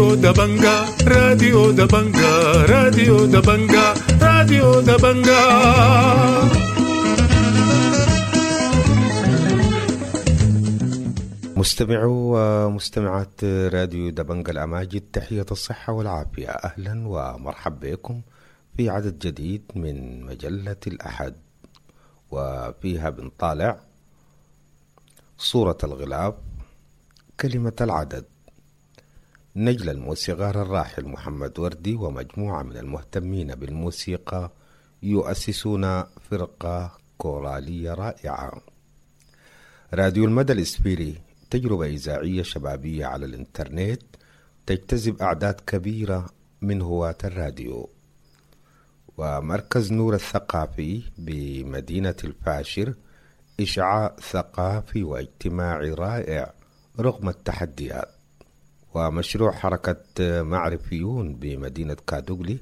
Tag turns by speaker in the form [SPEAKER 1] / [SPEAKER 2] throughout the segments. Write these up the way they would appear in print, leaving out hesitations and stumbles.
[SPEAKER 1] راديو دبنجا، راديو دبنجا، راديو دبنجا، راديو دبنجا.
[SPEAKER 2] مستمعو ومستمعات راديو دبنجا الأماجد، تحية الصحة والعافية، أهلا ومرحبا بكم في عدد جديد من مجلة الأحد، وفيها بنطالع صورة الغلاف، كلمة العدد، نجل الموسيقار الراحل محمد وردي ومجموعة من المهتمين بالموسيقى يؤسسون فرقة كورالية رائعة. راديو المدى الإسفيري تجربة إذاعية شبابية على الإنترنت تجتذب أعداد كبيرة من هواة الراديو. ومركز نور الثقافي بمدينة الفاشر إشعاع ثقافي واجتماعي رائع رغم التحديات. ومشروع حركة معرفيون بمدينة كادوغلي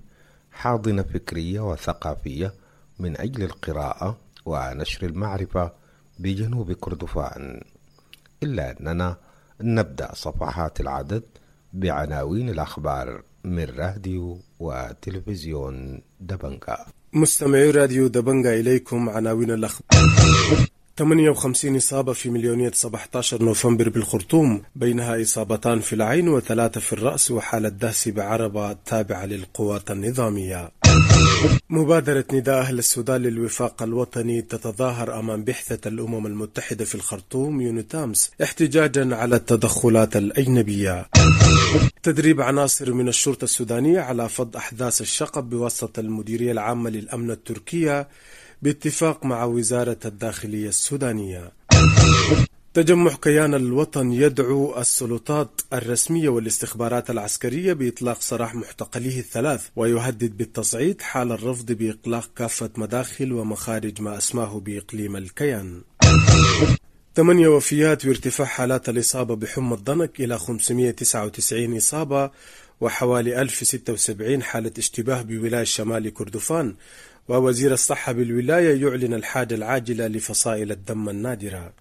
[SPEAKER 2] حاضنة فكرية وثقافية من أجل القراءة ونشر المعرفة بجنوب كردفان. إلا أننا نبدأ صفحات العدد بعناوين الأخبار من راديو وتلفزيون دبنجا.
[SPEAKER 3] مستمعي راديو دبنجا، إليكم عناوين الأخبار. 58 إصابة في مليونية 17 نوفمبر بالخرطوم، بينها إصابتان في العين وثلاثة في الرأس وحالة دهس بعربة تابعة للقوات النظامية. مبادرة نداء أهل السودان للوفاق الوطني تتظاهر أمام بعثة الأمم المتحدة في الخرطوم يونيتامس احتجاجا على التدخلات الأجنبية. تدريب عناصر من الشرطة السودانية على فض أحداث الشقب بواسطة المديرية العامة للأمن التركية باتفاق مع وزارة الداخلية السودانية. تجمع كيان الوطن يدعو السلطات الرسمية والاستخبارات العسكرية بإطلاق سراح معتقليه الثلاث، ويهدد بالتصعيد حال الرفض بإغلاق كافة مداخل ومخارج ما أسماه بإقليم الكيان. 8 وفيات وارتفاع حالات الإصابة بحمى الضنك إلى 599 إصابة وحوالي 1076 حالة اشتباه بولاية شمال كردفان. ووزير الصحة بالولاية يعلن الحاجة العاجلة لفصائل الدم النادرة.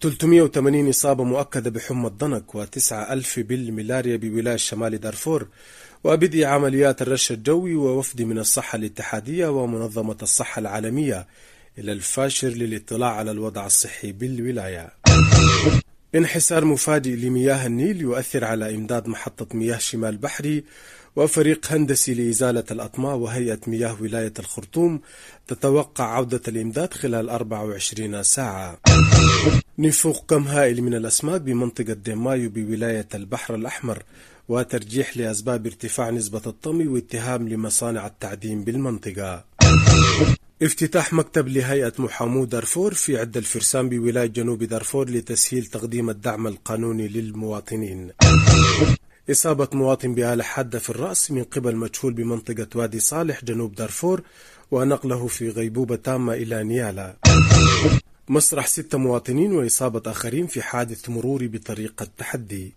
[SPEAKER 3] 380 إصابة مؤكدة بحمى الضنك و9,000 بالملاريا بولاية شمال دارفور. وبدء عمليات الرش الجوي ووفد من الصحة الاتحادية ومنظمة الصحة العالمية إلى الفاشر للاطلاع على الوضع الصحي بالولاية. انحسار مفاجئ لمياه النيل يؤثر على إمداد محطة مياه شمال بحري، وفريق هندسي لإزالة الأطماع وهيئة مياه ولاية الخرطوم تتوقع عودة الإمداد خلال 24 ساعة. نفوق كم هائل من الأسماك بمنطقة ديمايو بولاية البحر الأحمر، وترجيح لأسباب ارتفاع نسبة الطمي واتهام لمصانع التعدين بالمنطقة. افتتاح مكتب لهيئة محامو دارفور في عدة الفرسان بولاية جنوب دارفور لتسهيل تقديم الدعم القانوني للمواطنين. إصابة مواطن بآلة حادة في الرأس من قبل مجهول بمنطقة وادي صالح جنوب دارفور ونقله في غيبوبة تامة إلى نيالا. مسرح 6 مواطنين وإصابة آخرين في حادث مروري بطريقة تحدي.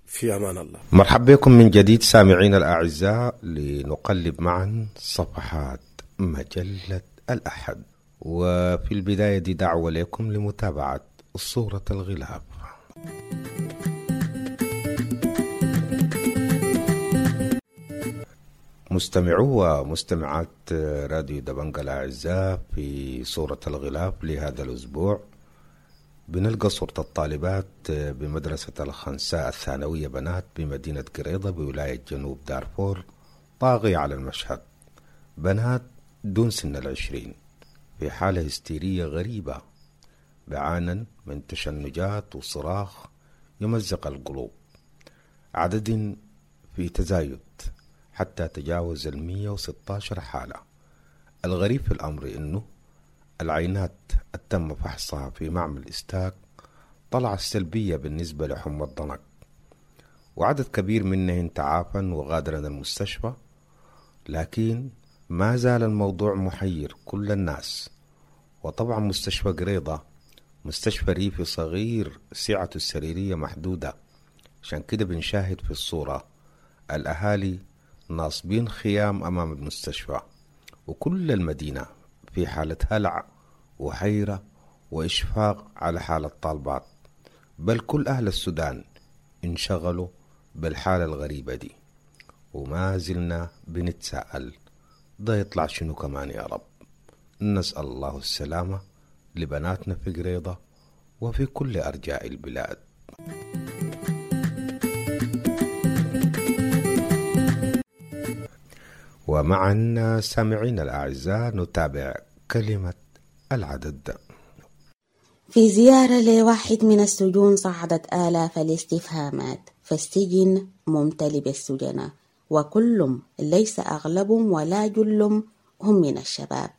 [SPEAKER 3] في أمان الله.
[SPEAKER 2] مرحبا بكم من جديد سامعين الأعزاء لنقلب معا صفحات مجلة الأحد، وفي البداية دي دعوة لكم لمتابعة صورة الغلاف. مستمعو ومستمعات راديو دبنجا الأعزاء، في صورة الغلاف لهذا الأسبوع بنلقى صورة الطالبات بمدرسة الخنساء الثانوية بنات بمدينة قريضة بولاية جنوب دارفور طاغية على المشهد، بنات دون سن 20 في حالة هستيرية غريبة بعانا من تشنجات وصراخ يمزق القلوب، عدد في تزايد حتى تجاوز 116 حالة. الغريب في الأمر أنه العينات التم فحصها في معمل إستاك طلعت سلبية بالنسبة لحمى الضنك، وعدد كبير منهن تعافى وغادرن المستشفى، لكن ما زال الموضوع محير كل الناس. وطبعا مستشفى قريضة مستشفى ريفي صغير سعته السريرية محدودة، عشان كده بنشاهد في الصورة الأهالي ناصبين خيام أمام المستشفى، وكل المدينة في حالة هلع وحيرة وإشفاق على حال الطالبات، بل كل أهل السودان انشغلوا بالحالة الغريبة دي، وما زلنا بنتساءل ده يطلع شنو كمان يا رب. نسأل الله السلامة لبناتنا في قريضة وفي كل أرجاء البلاد. ومعا سامعين الأعزاء نتابع كلمة العدد.
[SPEAKER 4] في زيارة لواحد من السجون صعدت آلاف الاستفهامات، فالسجن ممتلئ بالسجناء، وكلهم ليس أغلبهم ولا جلهم هم من الشباب،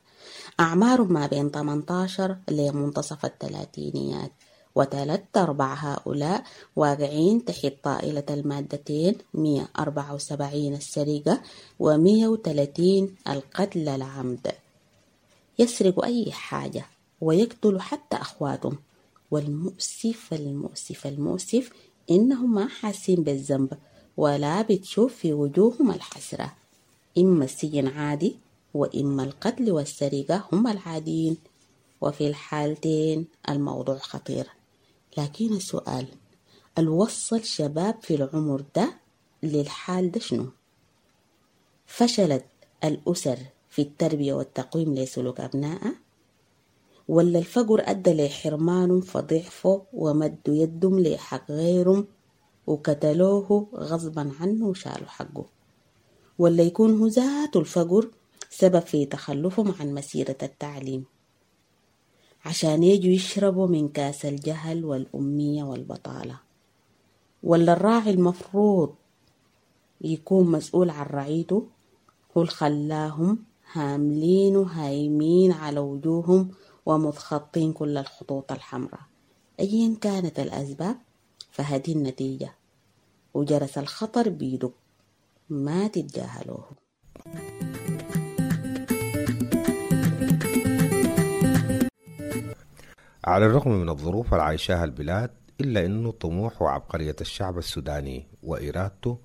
[SPEAKER 4] أعمارهم ما بين 18 لمنتصف الثلاثينيات، وثلاث أرباع هؤلاء واقعين تحت طائلة المادتين 174 السرقة و130 القتل العمد. يسرقوا أي حاجة ويقتلوا حتى أخواتهم، والمؤسف المؤسف المؤسف إنهم ما حاسين بالذنب ولا بتشوف في وجوههم الحسرة. إما السجن عادي وإما القتل والسرقة هم العاديين، وفي الحالتين الموضوع خطير. لكن السؤال، الوصل شباب في العمر ده للحال ده شنو؟ فشلت الأسر في التربية والتقويم لسلوك أبنائها، ولا الفقر أدى لحرمانهم فضعفوا ومدوا يدهم لحق غيرهم وقتلوه غصبا عنه وشالوا حقه، ولا يكون هو ذاته الفقر سبب في تخلفهم عن مسيرة التعليم عشان يجوا يشربوا من كاس الجهل والأمية والبطالة، ولا الراعي المفروض يكون مسؤول عن رعيته هو اللي خلاهم هاملين وهايمين على وجوههم ومتخطين كل الخطوط الحمراء؟ أيا كانت الأسباب فهذه النتيجة، وجرس الخطر بيدق، ما تتجاهلوه.
[SPEAKER 2] على الرغم من الظروف العايشاها البلاد، إلا أنه طموح وعبقرية الشعب السوداني وإرادته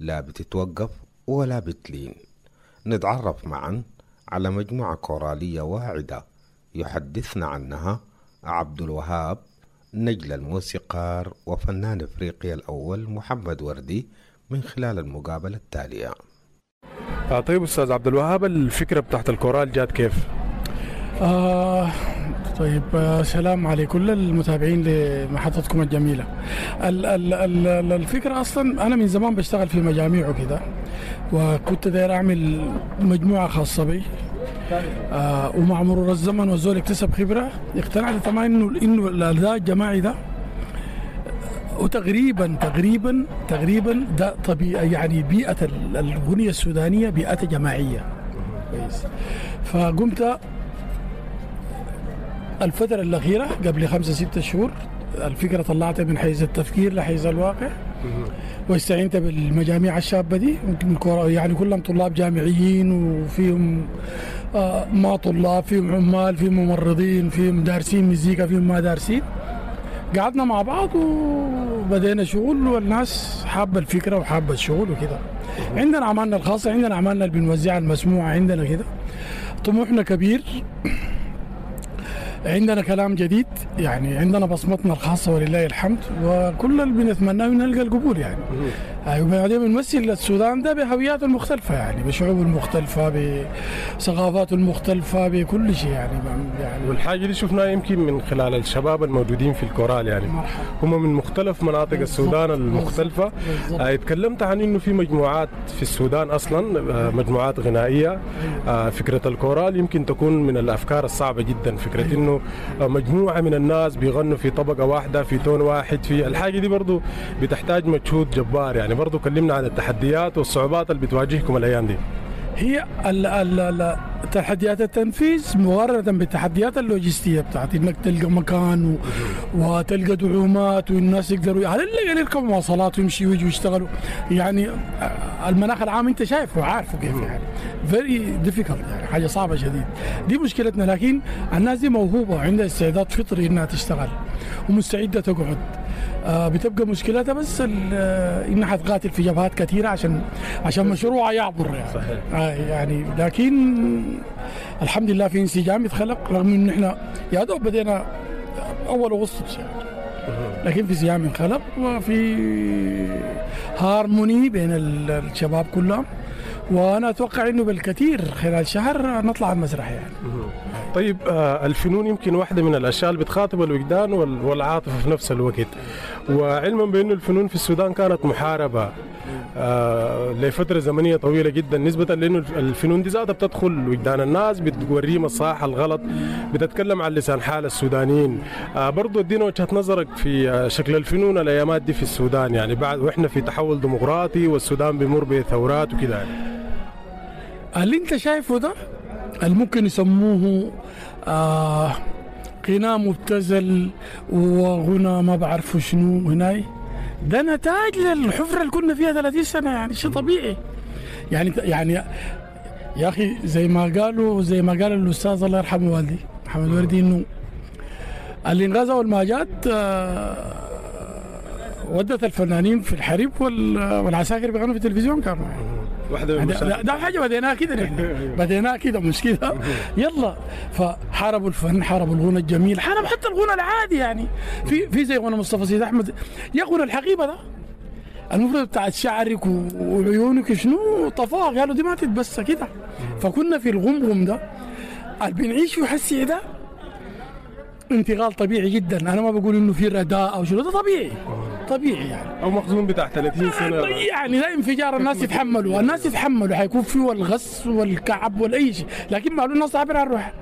[SPEAKER 2] لا بتتوقف ولا بتلين. نتعرف معا على مجموعة كورالية واعدة يحدثنا عنها عبد الوهاب نجل الموسيقار وفنان إفريقيا الأول محمد وردي من خلال المقابلة التالية.
[SPEAKER 3] طيب أستاذ عبد الوهاب، الفكرة بتاعت الكورال جات كيف؟
[SPEAKER 5] طيب، سلام على كل المتابعين لمحطتكم الجميلة. الفكرة أصلا أنا من زمان بشتغل في مجاميع وكده، وكنت داير أعمل مجموعة خاصة بي، ومع مرور الزمن والزول اكتسب خبرة اقتنعت تماما إنه الأداء الجماعي ده وتقريبا تقريبا تقريبا ده طبيعي، يعني بيئة الأغنية السودانية بيئة جماعية. كويس. فقمت الفترة الأخيرة قبل 5-6 شهور الفكرة طلعتها من حيز التفكير لحيز الواقع، واستعنت بالمجاميع الشابة دي، يعني كلهم طلاب جامعيين، وفيهم ما طلاب، فيهم عمال، فيهم ممرضين، فيهم دارسين مزيكا، فيهم ما دارسين. قعدنا مع بعض وبدينا شغل، والناس حابة الفكرة وحابة الشغل وكده. عندنا أعمالنا الخاصة، عندنا أعمالنا اللي بنوزعها المسموعة، عندنا كده طموحنا كبير، عندنا كلام جديد، يعني عندنا بصمتنا الخاصة ولله الحمد، وكل اللي بنتمناه نلقى القبول يعني. وبعدين بنمثل السودان ده بهوياته المختلفة، يعني بشعوبه المختلفة، بثقافاته المختلفة، بكل شيء يعني.
[SPEAKER 3] والحاجة دي شفناها يمكن من خلال الشباب الموجودين في الكورال، يعني هم من مختلف مناطق السودان المختلفة. اتكلمت عن انه في مجموعات في السودان اصلا، مجموعات غنائية. فكرة الكورال يمكن تكون من الافكار الصعبة جدا، فكرة انه مجموعة من الناس بيغنوا في طبقة واحدة في tone واحد، في الحاجة دي برضو بتحتاج مجهود جبار. يعني برضو كلمنا عن التحديات والصعوبات اللي بتواجهكم الأيام دي.
[SPEAKER 5] هي تحديات التنفيذ مقارنة بالتحديات اللوجستية بتاعت انك تلقى مكان وتلقى دعومات والناس يقدروا على الاقل يركبوا مواصلات ويمشوا ويجوا يشتغلوا. يعني المناخ العام انت شايفه وعارفه كيف، يعني very difficult، يعني حاجة صعبة شديد. دي مشكلتنا. لكن الناس دي موهوبة وعندها استعداد فطري انها تشتغل ومستعدة تقعد. بتبقى مشكلتها بس انها حتقاتل في جبهات كثيرة عشان مشروعها يعبر يعني.
[SPEAKER 3] صحيح.
[SPEAKER 5] يعني لكن الحمد لله في انسجام يتخلق، رغم ان احنا يا دوب بدينا اول اغسطس يعني. لكن في سيام انخلق وفي هارموني بين الشباب كلهم، وانا اتوقع انه بالكثير خلال شهر نطلع المسرح يعني.
[SPEAKER 3] طيب الفنون يمكن واحدة من الأشياء اللي بتخاطب الوجدان والعاطفة في نفس الوقت، وعلما بأنه الفنون في السودان كانت محاربة لفترة زمنية طويلة جدا، نسبة لأنه الفنون دي ذاتها بتدخل وجدان الناس، بتوريهم الصح الغلط، بتتكلم عن لسان حال السودانيين. برضو ادينا وجهة نظرك في شكل الفنون الأيامات دي في السودان، يعني بعد وإحنا في تحول ديمقراطي والسودان بيمر بثورات وكده يعني.
[SPEAKER 5] اللي انت شايفه ده اللي ممكن يسموه غناء مبتذل وغنى ما بعرفه شنو هناي، ده نتاج للحفرة اللي كنا فيها 30 سنة يعني، شيء طبيعي يعني يا أخي زي ما قال الأستاذ الله يرحمه والدي محمد وردي، إنه الإنغاز أول ما جات ودت الفنانين في الحريب والعساكر بيغنوا في التلفزيون كانوا
[SPEAKER 3] واحدة من
[SPEAKER 5] ده حاجة بديناها كده، نحن بديناها كده مش كده، يلا. فحاربوا الفن، حاربوا الغنى الجميل، حاربوا حتى الغنى العادي يعني. في زي غنى مصطفى سيد أحمد، يا غنى الحقيبة ده المفروض بتاعت شعرك وعيونك شنو طفاه، قالوا دي ما تتبسى كده. فكنا في الغمغم ده اللي بنعيش فيه حسي ده انتقال طبيعي جدا. انا ما بقول انه في رداء او شنو، ده طبيعي طبيعي يعني،
[SPEAKER 3] او مخزون بتاع 30 سنة
[SPEAKER 5] يعني، لا انفجار. الناس يتحملوا، الناس يتحملوا، حيكون فيه الغص والكعب والاي شيء، لكن معلوم الناس تعبر عن روحها.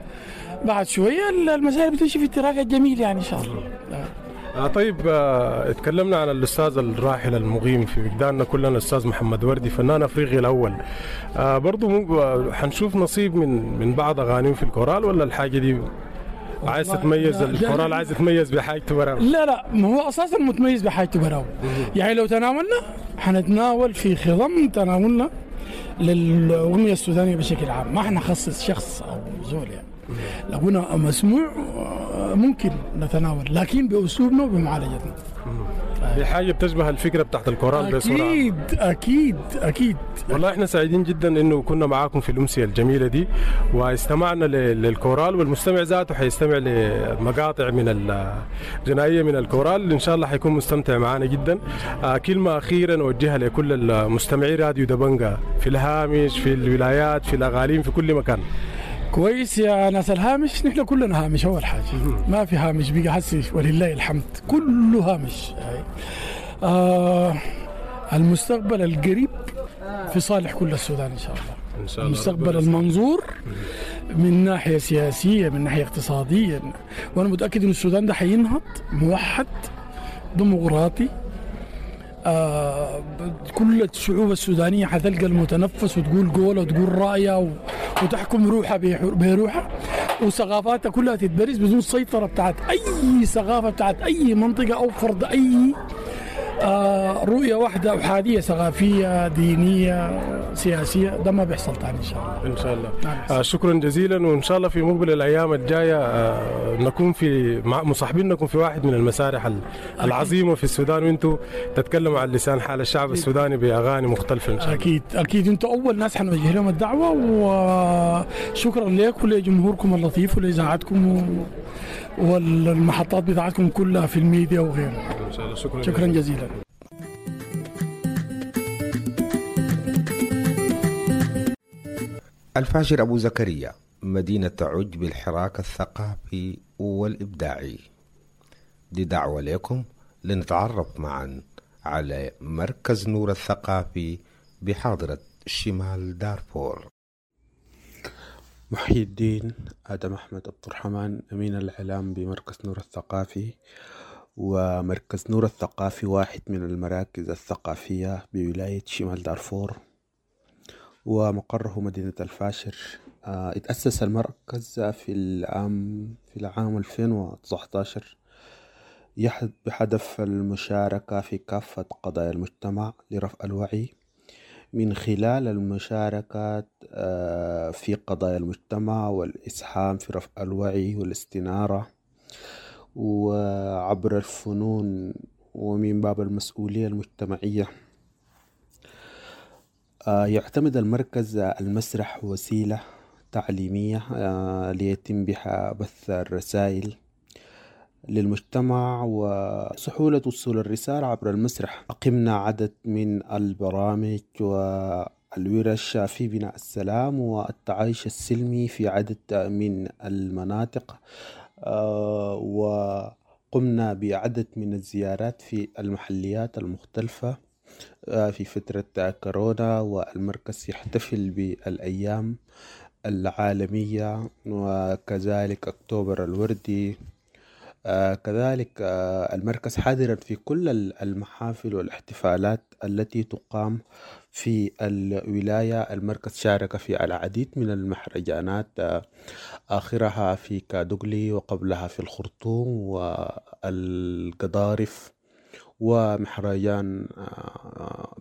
[SPEAKER 5] بعد شوية المسائل بتمشي في ال track الجميل يعني ان شاء الله.
[SPEAKER 3] طيب اتكلمنا عن الاستاذ الراحل المقيم في وجداننا كلنا، الاستاذ محمد وردي فنان افريقي الاول. برضو حنشوف نصيب من بعض اغانيه في الكورال، ولا الحاجة دي عايز تتميز الكورال، عايز تتميز بحاجته براو؟
[SPEAKER 5] لا لا، ما هو اساسا متميز بحاجته براو. يعني لو تناولنا حنتناول في خضم تناولنا للاغنية السودانية بشكل عام، ما حنخصص شخص او زول يعني. لو قلنا مسموع ممكن نتناول، لكن باسلوبنا وبمعالجتنا.
[SPEAKER 3] دي حاجة بتشبه الفكرة بتاعت الكورال بصورة.
[SPEAKER 5] اكيد اكيد اكيد.
[SPEAKER 3] والله احنا سعيدين جدا انه كنا معاكم في الامسيه الجميلة دي، واستمعنا للكورال، والمستمع ذاته حيستمع لمقاطع من الغنائية من الكورال، ان شاء الله حيكون مستمتع معنا جدا. كلمة اخيرة نوجهها لكل المستمعي راديو دبنجا في الهامش، في الولايات، في الاغاليم، في كل مكان.
[SPEAKER 5] كويس يا ناس الهامش، نحن كلنا هامش. اول حاجة ما في هامش بقى حسي ولله الحمد، كله هامش. المستقبل القريب في صالح كل السودان ان شاء الله.
[SPEAKER 3] إن شاء الله.
[SPEAKER 5] المستقبل المنظور من ناحية سياسية، من ناحية اقتصادية، وانا متاكد ان السودان ده حينهض موحد ديمقراطي. كل الشعوب السودانية حتلقى المتنفس وتقول قولة وتقول رأيها وتحكم روحها بروحها، وثقافاتها كلها تتبرز بدون سيطرة بتاعت أي ثقافة بتاعت أي منطقة أو فرض أي رؤية واحدة أحادية ثقافية دينية سياسية. ده ما بيحصل تاني إن شاء الله.
[SPEAKER 3] إن شاء الله. شكرا جزيلا، وإن شاء الله في مقبل الأيام الجاية نكون في مصاحبينكم في واحد من المسارح العظيمة في السودان، وأنتم تتكلموا عن لسان حال الشعب السوداني بأغاني مختلفة إن شاء الله.
[SPEAKER 5] أكيد أكيد، أنتم أول ناس حنوجه لهم الدعوة، وشكرا لكم ولجمهوركم اللطيف ولإذاعتكم والمحطات بتاعتكم كلها في الميديا وغيرها.
[SPEAKER 3] إن شاء الله. شكرا
[SPEAKER 5] شكرا جزيلا.
[SPEAKER 2] الفاشر أبو زكريا، مدينة تعج بالحراك الثقافي والإبداعي. دي دعوة لكم لنتعرف معا على مركز نور الثقافي بحاضرة شمال دارفور.
[SPEAKER 6] محي الدين آدم أحمد عبد الرحمن، أمين الإعلام بمركز نور الثقافي. ومركز نور الثقافي واحد من المراكز الثقافية بولاية شمال دارفور، ومقره مدينة الفاشر. اتأسس المركز في العام 2019 بهدف المشاركة في كافة قضايا المجتمع لرفع الوعي من خلال المشاركة في قضايا المجتمع والإسهام في رفع الوعي والاستنارة وعبر الفنون ومن باب المسؤولية المجتمعية. يعتمد المركز المسرح وسيلة تعليمية ليتم بها بث الرسائل للمجتمع وسهولة وصول الرسالة عبر المسرح. أقمنا عدد من البرامج والورش في بناء السلام والتعايش السلمي في عدد من المناطق، وقمنا بعدد من الزيارات في المحليات المختلفة في فترة كورونا، والمركز يحتفل بالأيام العالمية وكذلك أكتوبر الوردي. كذلك المركز حاضرا في كل المحافل والاحتفالات التي تقام في الولاية. المركز شارك في العديد من المهرجانات، آخرها في كادوغلي وقبلها في الخرطوم والقضارف ومهرجان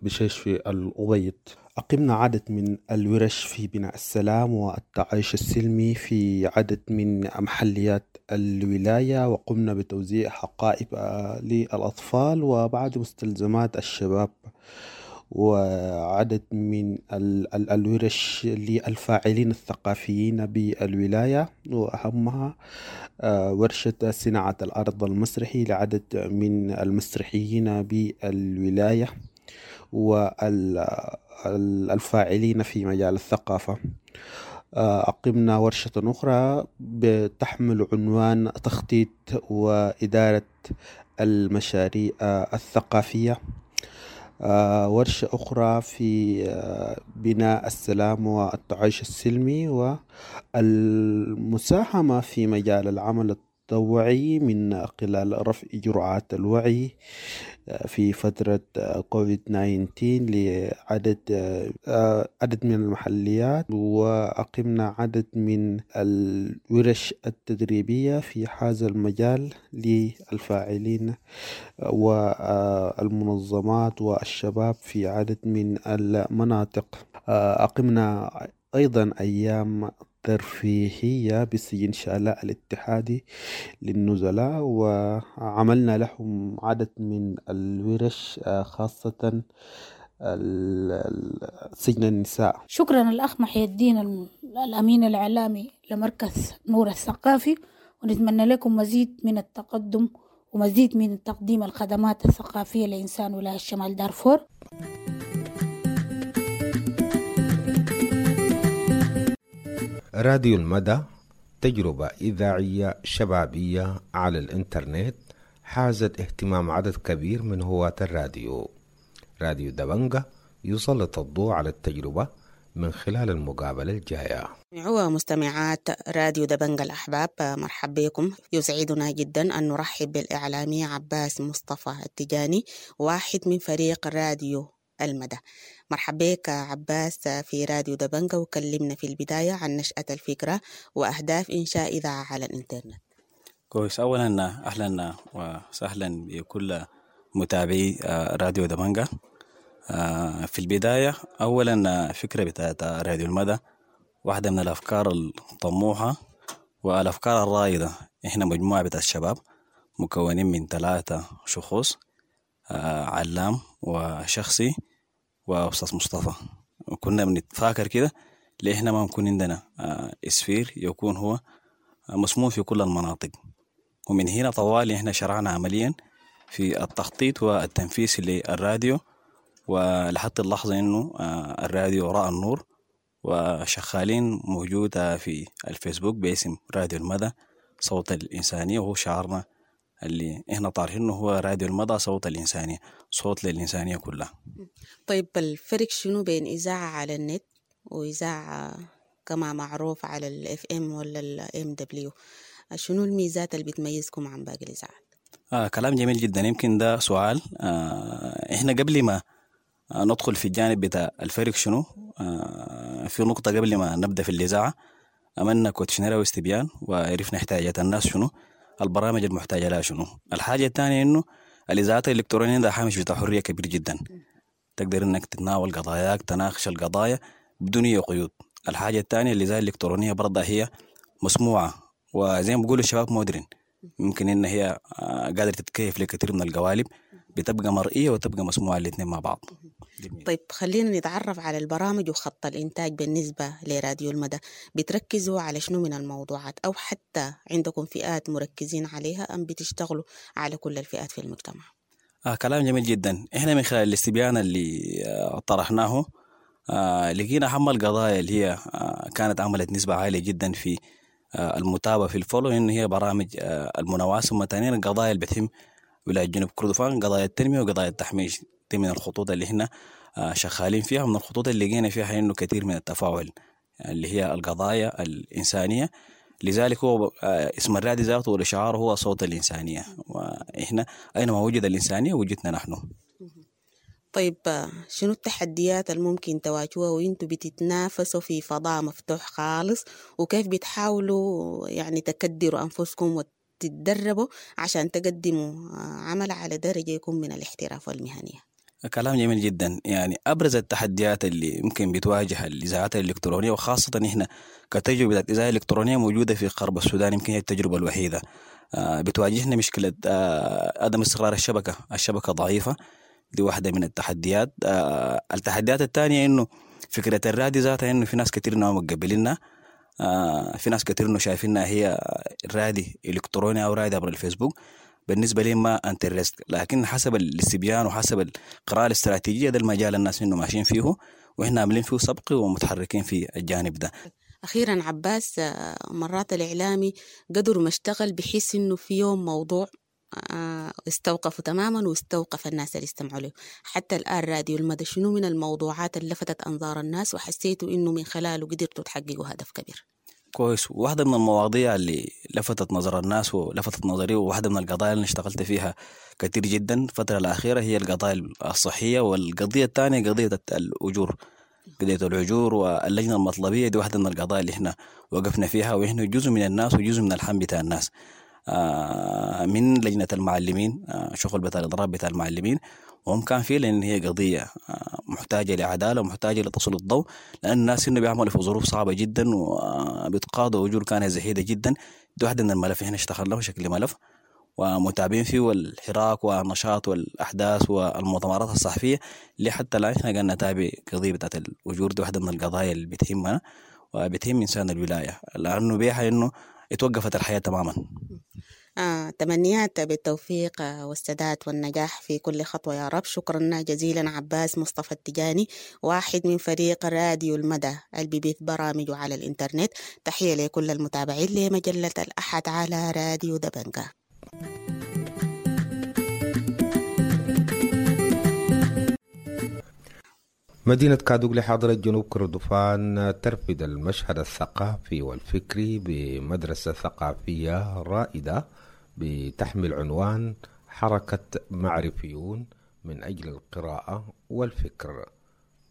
[SPEAKER 6] بشيش في الأبيض. أقمنا عدد من الورش في بناء السلام والتعايش السلمي في عدد من محليات الولاية، وقمنا بتوزيع حقائب للأطفال وبعض مستلزمات الشباب، وعدد من الورش للفاعلين الثقافيين بالولاية، وأهمها ورشة صناعة الأرض المسرحي لعدد من المسرحيين بالولاية والفاعلين في مجال الثقافة. أقمنا ورشة أخرى بتحمل عنوان تخطيط وإدارة المشاريع الثقافية. ورشة أخرى في بناء السلام والتعايش السلمي والمساهمة في مجال العمل التطوعي من خلال رفع جرعات الوعي في فترة كوفيد 19 لعدد عدد من المحليات، وأقمنا عدد من الورش التدريبية في هذا المجال للفاعلين والمنظمات والشباب في عدد من المناطق. أقمنا أيضا أيام ترفيهية بسجن شالاء الاتحادي للنزلاء، وعملنا لهم عدد من الورش خاصة سجن النساء.
[SPEAKER 7] شكرا الأخ محي الدين الأمين الإعلامي لمركز نور الثقافي، ونتمنى لكم مزيد من التقدم ومزيد من تقديم الخدمات الثقافية لإنسان ولاية شمال دارفور.
[SPEAKER 2] راديو المدى تجربة إذاعية شبابية على الإنترنت حازت اهتمام عدد كبير من هواة الراديو. راديو دبنجة يسلط الضوء على التجربة من خلال المقابلة الجاية.
[SPEAKER 4] ومستمعات راديو دبنجة الأحباب، مرحب بكم. يسعدنا جدا أن نرحب بالإعلامي عباس مصطفى التجاني، واحد من فريق راديو المدى. مرحبا بك عباس في راديو دبنجة، وكلمنا في البداية عن نشأة الفكرة وأهداف إنشاء إذاعة على الإنترنت.
[SPEAKER 8] كويس. أولا أهلا وسهلا بكل متابعي راديو دبنجة. في البداية أولا فكرة بتاعت راديو المدى واحدة من الأفكار الطموحة والأفكار الرائدة. إحنا مجموعة بتاعت الشباب مكونين من 3 شخوص، علام وشخصي وأستاذ مصطفى. وكنا بنتفاكر كده ليه إحنا ما نكون عندنا إسفير يكون هو مسموم في كل المناطق. ومن هنا طوالي إحنا شرعنا عمليا في التخطيط والتنفيذ للراديو، ولحد اللحظة إنه الراديو رأى النور وشغالين موجودة في الفيسبوك باسم راديو المدى صوت الإنسانية، وهو شعارنا اللي احنا طارحينه هو راديو المدى صوت الإنسانية، صوت للإنسانية كلها.
[SPEAKER 4] طيب الفرق شنو بين إذاعة على النت وإذاعة كما معروف على ال FM ولا ال MW؟ شنو الميزات اللي بتميزكم عن باقي الإذاعات؟
[SPEAKER 8] كلام جميل جدا. يمكن ده سؤال احنا قبل ما ندخل في الجانب بتاع الفرق شنو، في نقطة قبل ما نبدأ في الإذاعة عملنا questionnaire واستبيان وعرفنا احتياجات الناس شنو، البرامج المحتاجة لها شنو. الحاجة الثانية إنه الإذاعات الإلكترونية ده هامش بتاع حرية كبير جدا، تقدر إنك تتناول قضاياك، تناقش القضايا بدون أي قيود. الحاجة الثانية الإذاعة الإلكترونية برضه هي مسموعة، وزي ما بيقولوا الشباب مودرن، ممكن إن هي قادرة تتكيف لكثير من القوالب، بتبقى مرئية وتبقى مسموعة الاثنين مع بعض. جميل.
[SPEAKER 4] طيب خلينا نتعرف على البرامج وخط الإنتاج بالنسبة لراديو المدى. بتركزوا على شنو من الموضوعات، أو حتى عندكم فئات مركزين عليها أم بتشتغلوا على كل الفئات في المجتمع؟
[SPEAKER 8] كلام جميل جدا. احنا من خلال الاستبيان اللي طرحناه لقينا أهم القضايا اللي هي كانت عملت نسبة عالية جدا في المتابعة في ال follow، إنه هي برامج المناواة، ثم ثانيا القضايا اللي بتهم ولاية جنوب كردفان، قضايا التنمية وقضايا التحميش. دي من الخطوط اللي احنا شغالين فيها، ومن الخطوط اللي لقينا فيها إنه كثير من التفاعل اللي هي القضايا الإنسانية. لذلك هو اسم الرادي ذاته والشعار هو صوت الإنسانية، وإحنا أينما وجد الإنسانية وجدنا نحن.
[SPEAKER 4] طيب شنو التحديات الممكن تواجهوها وانتوا بتتنافسوا في فضاء مفتوح خالص، وكيف بتحاولوا يعني تكدروا أنفسكم وتتدربوا عشان تقدموا عمل على درجة يكون من الاحتراف والمهنية؟
[SPEAKER 8] كلام جميل جدا. يعني أبرز التحديات اللي ممكن بتواجه الإذاعات الإلكترونية، وخاصة إحنا كتجربة إذاعة إلكترونية موجودة في غرب السودان، يمكن هي التجربة الوحيدة، بتواجهنا مشكلة عدم استقرار الشبكة. الشبكة ضعيفة، دي واحدة من التحديات. التحديات الثانية إنه فكرة الراديو ذاتها، إنه في ناس كتير إنه متقبلينها، في ناس كتير إنه شايفينها هي رادي إلكتروني أو رادي عبر الفيسبوك، بالنسبة لي ما interest. لكن حسب الاستبيان وحسب القراءة الاستراتيجية ده المجال الناس إنه ماشيين فيه، وإحنا عاملين فيه سبق ومتحركين في الجانب ده.
[SPEAKER 4] أخيرا عباس، مرات الإعلامي قدر ما اشتغل بحيث إنه في يوم موضوع استوقفوا تماما واستوقف الناس اللي استمعوا له. حتى الآن راديو المدى شنو من الموضوعات اللي لفتت أنظار الناس وحسيتوا إنه من خلاله قدرتوا تحققوا هدف كبير؟
[SPEAKER 8] كويس. واحدة من المواضيع اللي لفتت نظر الناس ولفتت نظري، وواحدة من القضايا اللي اشتغلت فيها كثير جدا الفترة الأخيرة، هي القضايا الصحية، والقضية الثانية قضية الأجور، قضية الأجور واللجنة المطلبية. دي واحدة من القضايا اللي احنا وقفنا فيها، وإحنا جزء من الناس وجزء من الحم بتاع الناس، من لجنة المعلمين، شغل بتاع الإضراب بتاع المعلمين، وهم كان فيه، لأن هي قضية محتاجة لعدالة ومحتاجة لتسليط الضوء، لأن الناس هنا بيعملوا في ظروف صعبة جدا وبيتقاضوا أجور كانت زهيدة جدا. دي واحدة من الملف احنا اشتغلناه بشكل ملف ومتابعين فيه، والحراك والنشاط والأحداث والمؤتمرات الصحفية اللي حتى الآن احنا قاعدين نتابع قضية بتاعت الأجور. دي واحدة من القضايا اللي بتهمنا وبتهم إنسان الولاية، لأنه بيها إنه اتوقفت الحياة تماما.
[SPEAKER 4] تمنيات بالتوفيق والسداد والنجاح في كل خطوة يا رب. شكرا جزيلا عباس مصطفى التجاني، واحد من فريق راديو المدى اللي بيبث برامجه على الإنترنت. تحية لكل المتابعين لمجلة الأحد على راديو دبنجة.
[SPEAKER 2] مدينة كادوغلي حاضرة جنوب كردفان ترفد المشهد الثقافي والفكري بمدرسة ثقافية رائدة بتحمل عنوان حركة معرفيون من أجل القراءة والفكر.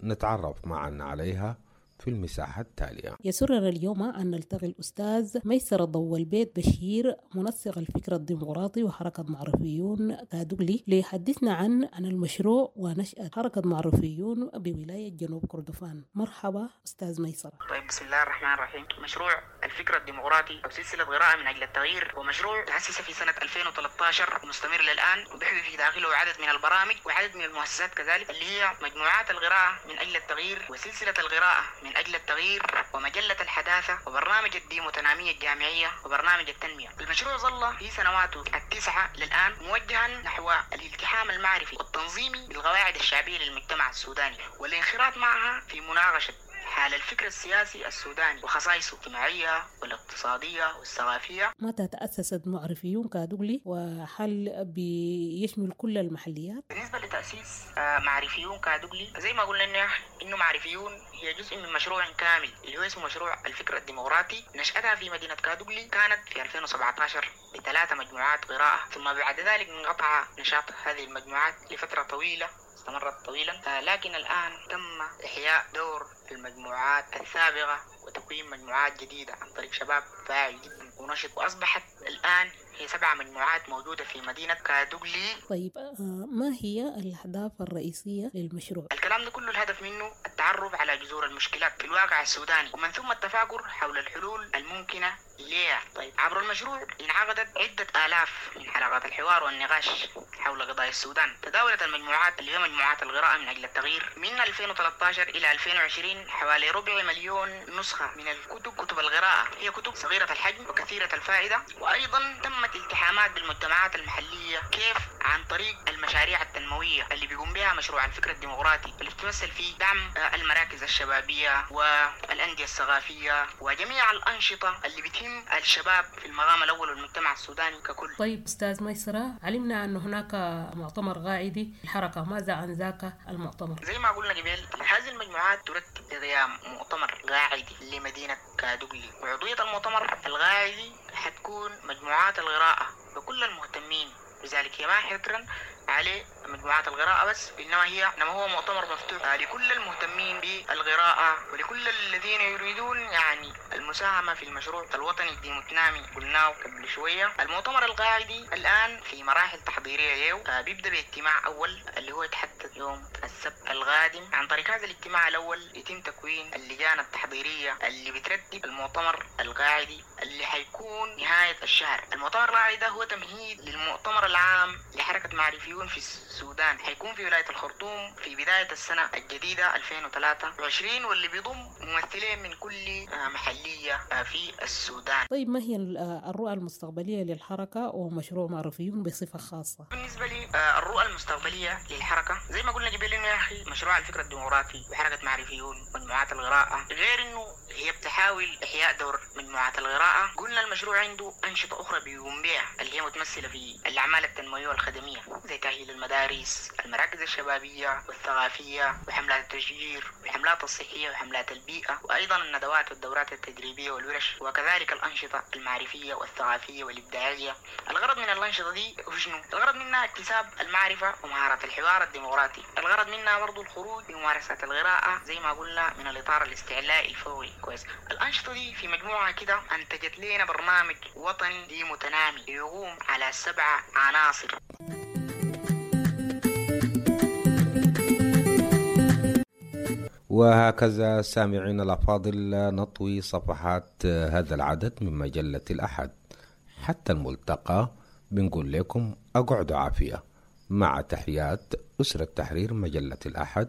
[SPEAKER 2] نتعرف معا عليها في المساحة التالية.
[SPEAKER 9] يسرنا اليوم أن نلتقي الأستاذ ميسر ضو البيت بشير، منسق الفكر الديمقراطي وحركة معرفيون كادوغلي، ليحدثنا عن المشروع ونشأة حركة معرفيون بولاية جنوب كردفان. مرحبا أستاذ ميسر.
[SPEAKER 10] طيب، بسم الله الرحمن الرحيم. مشروع الفكر الديمقراطي أو سلسلة قراءة من أجل التغيير هو مشروع تأسس في سنة 2013 ومستمر للآن، وبيحوي في داخله عدد من البرامج وعدد من المؤسسات كذلك، اللي هي مجموعات القراءة من أجل التغيير، وسلسلة القراءة من أجل التغيير، ومجلة الحداثة، وبرنامج الديموتنامية الجامعية، وبرنامج التنمية. المشروع ظل في سنواته 9 للآن موجها نحو الالتحام المعرفي والتنظيمي بالقواعد الشعبية للمجتمع السوداني، والانخراط معها في مناقشة حال الفكر السياسي السوداني وخصائصه الاجتماعية والاقتصادية والثقافية.
[SPEAKER 9] متى تأسست معرفيون كادوغلي، وهل بيشمل كل المحليات؟
[SPEAKER 10] بالنسبة لتأسيس معرفيون كادوغلي، زي ما قلنا إنه معرفيون هي جزء من مشروع كامل اللي هو اسمه مشروع الفكر الديمقراطي. نشأتها في مدينة كادوغلي كانت في 2017 ب3 مجموعات قراءة، ثم بعد ذلك انقطع نشاط هذه المجموعات لفترة طويلة استمرت طويلا، لكن الآن تم إحياء دور المجموعات السابقة وتكوين مجموعات جديدة عن طريق شباب فاعل جدا ونشط، وأصبحت الآن هي 7 مجموعات موجودة في مدينة كادوغلي.
[SPEAKER 9] طيب، ما هي الأهداف الرئيسية للمشروع؟
[SPEAKER 10] الكلام ده كله الهدف منه التعريف التعرف على جذور المشكلات في الواقع السوداني، ومن ثم التفاكر حول الحلول الممكنة ليها. طيب، عبر المشروع انعقدت عدة آلاف من حلقات الحوار والنقاش حول قضايا السودان. تداولت المجموعات اللي هي مجموعات القراءة من أجل التغيير من 2013 إلى 2020 حوالي 250,000 نسخة من الكتب، كتب القراءة، هي كتب صغيرة الحجم وكثيرة الفائدة. وأيضا تمت التحامات بالمجتمعات المحلية، كيف؟ عن طريق المشاريع التنموية اللي بيقوم بها مشروع الفكر الديمقراطي، اللي بتمثل في دعم المراكز الشبابية والأندية الثقافية وجميع الأنشطة اللي بتهم الشباب في المقام الأول والمجتمع السوداني ككل.
[SPEAKER 9] طيب أستاذ ميسرة، علمنا أن هناك مؤتمر قاعدي الحركة، ماذا عن ذاك المؤتمر؟
[SPEAKER 10] زي ما قلنا قبل، هذه المجموعات ترتب لقيام مؤتمر قاعدي لمدينة كادوغلي، وعضوية المؤتمر القاعدي حتكون مجموعات القراءة وكل المهتمين بذلك. هي ما حكرا عليه مجموعات القراءة بس، إنما هو مؤتمر مفتوح لكل المهتمين بالقراءة ولكل الذين يريدون يعني المساهمة في المشروع الوطني الديموتنامي قلناه قبل شوية. المؤتمر القاعدي الآن في مراحل تحضيرية له، بيبدأ باجتماع أول اللي هو يتحدد يوم السبت القادم. عن طريق هذا الاجتماع الأول يتم تكوين اللجان التحضيرية اللي بترتب المؤتمر القاعدي اللي حيكون نهاية الشهر. المؤتمر القاعدي ده هو تمهيد للمؤتمر العام لحركة معرفيون في السودان، حيكون في ولاية الخرطوم في بداية السنة الجديدة 2023، واللي بيضم ممثلين من كل محلية في السودان.
[SPEAKER 9] طيب، ما هي الرؤى المستقبلية للحركة ومشروع معرفيون بصفة خاصة؟
[SPEAKER 10] بالنسبة لي الرؤى المستقبلية للحركة زي ما قلنا قبل إنه يا أخي مشروع الفكر الديمقراطي وحركة معرفيون ومجموعات القراءة، غير إنه هي بتحاول إحياء دور مجموعات القراءة، قلنا المشروع عنده أنشطة أخرى بيقوم بها اللي هي متمثلة في الأعمال التنموية والخدمية زي تأهيل المدارس، المراكز الشبابية والثقافية، وحملات التشجير والحملات الصحية وحملات البيئة، وأيضا الندوات والدورات التدريبية والورش، وكذلك الأنشطة المعرفية والثقافية والإبداعية. الغرض من الأنشطة دي هو شنو؟ الغرض منها اكتساب المعرفة ومهارات الحوار الديمقراطي، الغرض منها برضو الخروج بممارسة القراءة زي ما قلنا من الإطار الاستعلائي الفوري. كويس، الأنشطة دي في مجموعة كده أنتجت لنا برنامج وطني ديموتنامي يقوم على 7 عناصر.
[SPEAKER 2] وهكذا سامعين الأفاضل نطوي صفحات هذا العدد من مجلة الأحد. حتى الملتقى بنقول لكم أقعدوا عافية، مع تحيات أسرة تحرير مجلة الأحد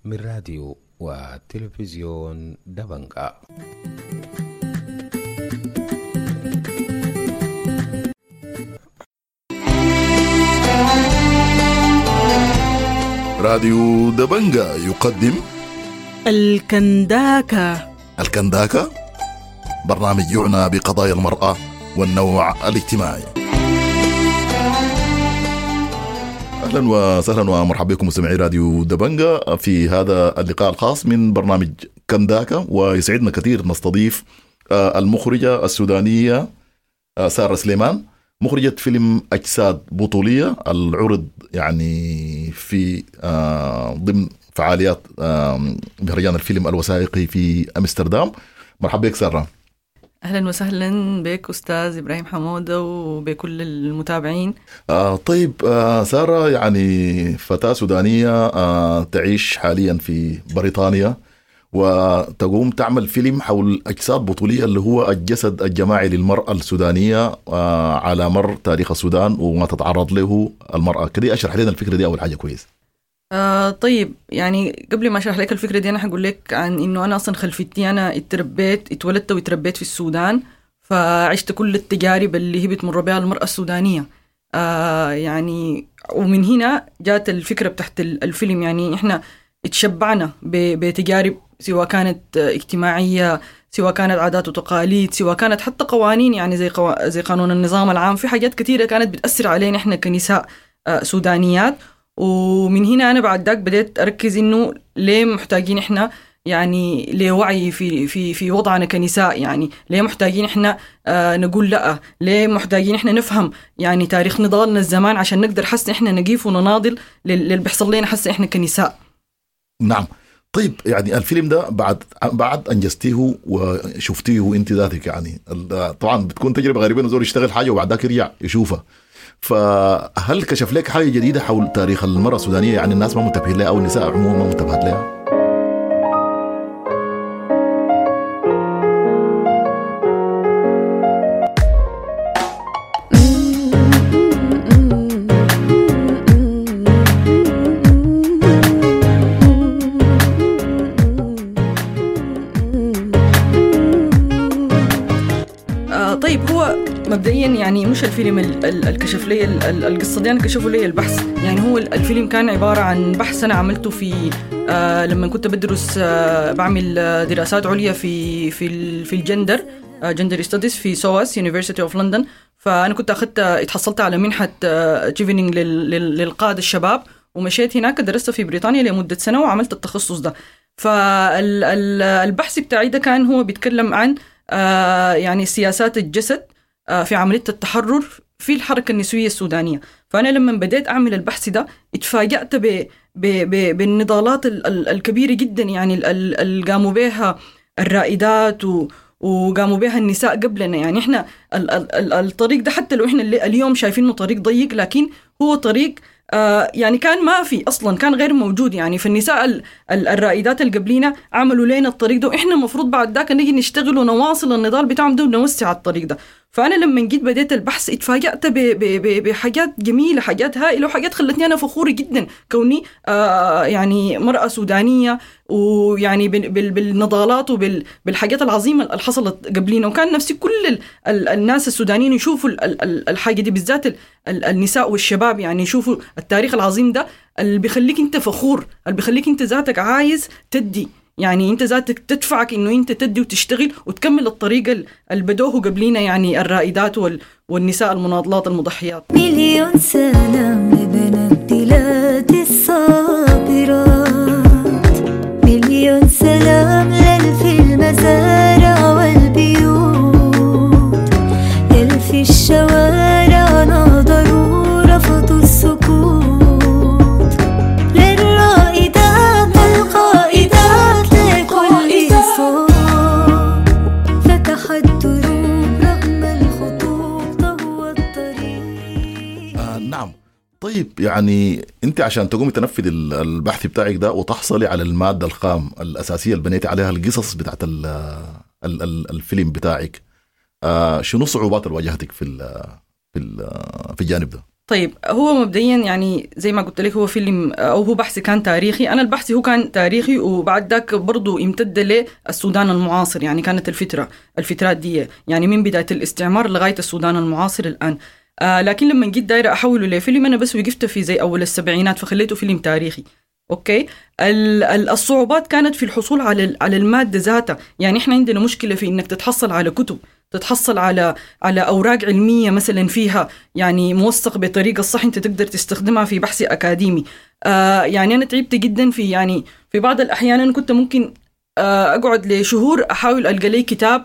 [SPEAKER 2] من راديو وتلفزيون دبنجا.
[SPEAKER 11] راديو دبنجا يقدم
[SPEAKER 12] الكنداكة.
[SPEAKER 11] الكنداكة برنامج يعنى بقضايا المرأة والنوع الاجتماعي. أهلا وسهلا ومرحبا بكم مستمعي راديو دبنجا في هذا اللقاء الخاص من برنامج كنداكة، ويسعدنا كثير نستضيف المخرجة السودانية سارة سليمان، مخرجة فيلم أجساد بطولية العرض يعني في ضمن فعاليات مهرجان الفيلم الوثائقي في أمستردام. مرحبا بك سارة.
[SPEAKER 12] أهلا وسهلا بك أستاذ إبراهيم حمودة وبكل المتابعين.
[SPEAKER 11] طيب سارة يعني فتاة سودانية تعيش حاليا في بريطانيا وتقوم تعمل فيلم حول أجساد بطولية اللي هو الجسد الجماعي للمرأة السودانية على مر تاريخ السودان وما تتعرض له المرأة. كده أشرح لنا الفكرة دي أول حاجة كويس.
[SPEAKER 12] طيب يعني قبل ما أشرح لك الفكرة دي أنا حقول لك عن إنه أنا أصلا خلفيتي أنا اتولدت واتربيت في السودان، فعشت كل التجارب اللي هي بتمر بها المرأة السودانية يعني، ومن هنا جات الفكرة بتاعت الفيلم. يعني إحنا اتشبعنا بتجارب سواء كانت اجتماعية، سواء كانت عادات وتقاليد، سواء كانت حتى قوانين، يعني زي قانون النظام العام، في حاجات كثيرة كانت بتأثر علينا إحنا كنساء سودانيات. ومن هنا أنا بعد ذاك بدأت أركز إنه ليه محتاجين إحنا يعني ليه وعي في في في وضعنا كنساء، يعني ليه محتاجين إحنا نقول لأ، ليه محتاجين إحنا نفهم يعني تاريخ نضالنا الزمان عشان نقدر حس إحنا نقيف ونناضل للي بيحصل لنا حس إحنا كنساء.
[SPEAKER 11] نعم. طيب يعني الفيلم ده بعد انجزتيه وشفتيه انت ذاتك، يعني طبعا بتكون تجربه غريبه انه زول يشتغل حاجه وبعد ذاك يرجع يشوفها، فهل كشف لك حاجه جديده حول تاريخ المراه السودانيه يعني الناس ما منتبهين لها او النساء عموما ما منتبهات لها؟
[SPEAKER 12] مبدئيا يعني مش الفيلم الكشف لي القصة دي، انا كشفوا لي البحث. يعني هو الفيلم كان عبارة عن بحث انا عملته في لما كنت بدرس، بعمل دراسات عليا في في في ال gender، gender studies في SOAS University of London. فانا كنت اخذت اتحصلت على منحه تشيفنينج للقاده الشباب، ومشيت هناك درست في بريطانيا لمدة سنة وعملت التخصص ده. فالبحث بتاعي ده كان هو بيتكلم عن يعني سياسات الجسد في عملية التحرر في الحركة النسوية السودانية. فأنا لما بديت أعمل البحث ده اتفاجأت بالنضالات الكبيرة جدا، يعني اللي قاموا بها الرائدات وقاموا بها النساء قبلنا. يعني احنا الطريق ده حتى لو احنا اليوم شايفينه طريق ضيق، لكن هو طريق يعني كان ما في أصلا، كان غير موجود. يعني فالنساء الرائدات اللي قبلينا عملوا لنا الطريق ده، وإحنا المفروض بعد ذاك نجي نشتغل ونواصل النضال بتاعهم ده ونوسع الطريق ده. فأنا لما جيت بديت البحث اتفاجأت بحاجات جميلة، حاجات هائلة، وحاجات خلتني أنا فخورة جدا كوني يعني مرأة سودانية، ويعني بالنضالات وبالحاجات العظيمة اللي حصلت قبلينا. وكان نفسي كل الناس السودانيين يشوفوا الحاجة دي، بالذات النساء والشباب، يعني يشوفوا التاريخ العظيم ده اللي بيخليك انت فخور، اللي بيخليك انت ذاتك عايز تدي، يعني انت ذاتك تدفعك انه انت تدي وتشتغل وتكمل الطريقة اللي بدوه قبلينا، يعني الرائدات والنساء المناضلات المضحيات.
[SPEAKER 13] مليون سلام لبنات بلاد الصابرات، مليون سلام للفي المزارع والبيوت، للفي الشوارع ناظروا رفضوا السكوت، للرائدات القائدات لكل صوت فتح الدروب رغم الخطوط هو الطريق.
[SPEAKER 11] نعم. طيب يعني انت عشان تقومي تنفذ البحث بتاعك ده وتحصلي على المادة الخام الأساسية اللي بنيتي عليها القصص بتاعت الفيلم بتاعك، شنو الصعوبات اللي واجهتك في في الجانب ده؟
[SPEAKER 12] طيب هو مبدئيا يعني زي ما قلت لك هو فيلم او هو بحث كان تاريخي. انا البحث هو كان تاريخي، وبعد ذاك برضو امتد للسودان المعاصر. يعني كانت الفترات دي يعني من بداية الاستعمار لغاية السودان المعاصر الآن. لكن لما جيت دايرة أحوله لفيلم أنا بس وقفت في زي أول السبعينات، فخليته فيلم تاريخي. okay. الصعوبات كانت في الحصول على المادة ذاتها. يعني إحنا عندنا مشكلة في إنك تتحصل على كتب، تتحصل على أوراق علمية مثلا فيها يعني موثق بطريقة الصح أنت تقدر تستخدمها في بحث أكاديمي. يعني أنا تعبت جدا في يعني في بعض الأحيان أنا كنت ممكن أقعد لشهور أحاول ألقى لي كتاب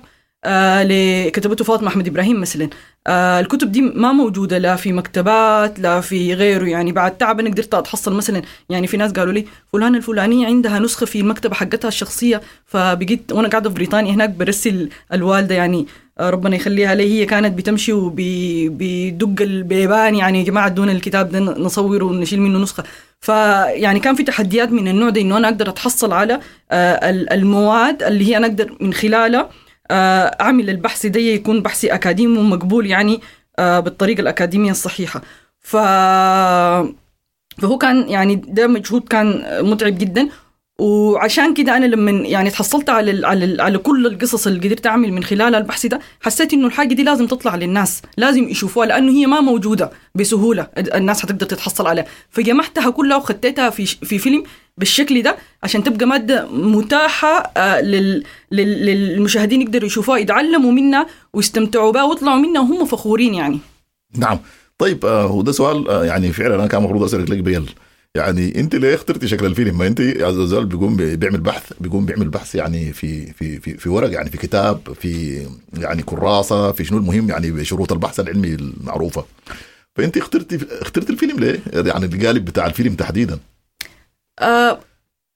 [SPEAKER 12] لكتبته فاطمة أحمد إبراهيم مثلا. الكتب دي ما موجودة لا في مكتبات لا في غيره. يعني بعد تعب أنا قدرت أتحصل مثلا، يعني في ناس قالوا لي فلانة الفلانية عندها نسخة في المكتبة حقتها الشخصية، فبقيت وأنا قاعدة في بريطانيا هناك برسل الوالدة، يعني ربنا يخليها لي، هي كانت بتمشي وبيدق البيبان، يعني يا جماعة دون الكتاب ده نصوره ونشيل منه نسخة. فيعني كان في تحديات من النوع ده، إنه أنا أقدر أتحصل على المواد اللي هي أنا أقدر من خلالها أعمل البحث ده يكون بحثي أكاديمي ومقبول، يعني بالطريقة الأكاديمية الصحيحة. فهو كان يعني ده مجهود كان متعب جدا. وعشان كده أنا لما يعني تحصلت على على على كل القصص اللي قدرت أعمل من خلال البحث ده، حسيت إنه الحاجة دي لازم تطلع للناس، لازم يشوفوها، لأنه هي ما موجودة بسهولة الناس هتقدر تتحصل عليها. فجمعتها كلها وخطيتها في فيلم بالشكل ده عشان تبقى مادة متاحة للمشاهدين، يقدروا يشوفوها، يتعلموا منها ويستمتعوا بها ويطلعوا منها وهم فخورين يعني.
[SPEAKER 11] نعم. طيب وده سؤال يعني فعلا أنا كان المفروض أسألك لك بيل، يعني انت ليه اخترتي شكل الفيلم؟ ما انت زول بيقوم بيعمل بحث، بيقوم بيعمل بحث يعني في في في في ورق، يعني في كتاب، في يعني كراسة، في شنو، المهم يعني بشروط البحث العلمي المعروفة. فانت اخترتي الفيلم ليه؟ يعني القالب بتاع الفيلم تحديدا.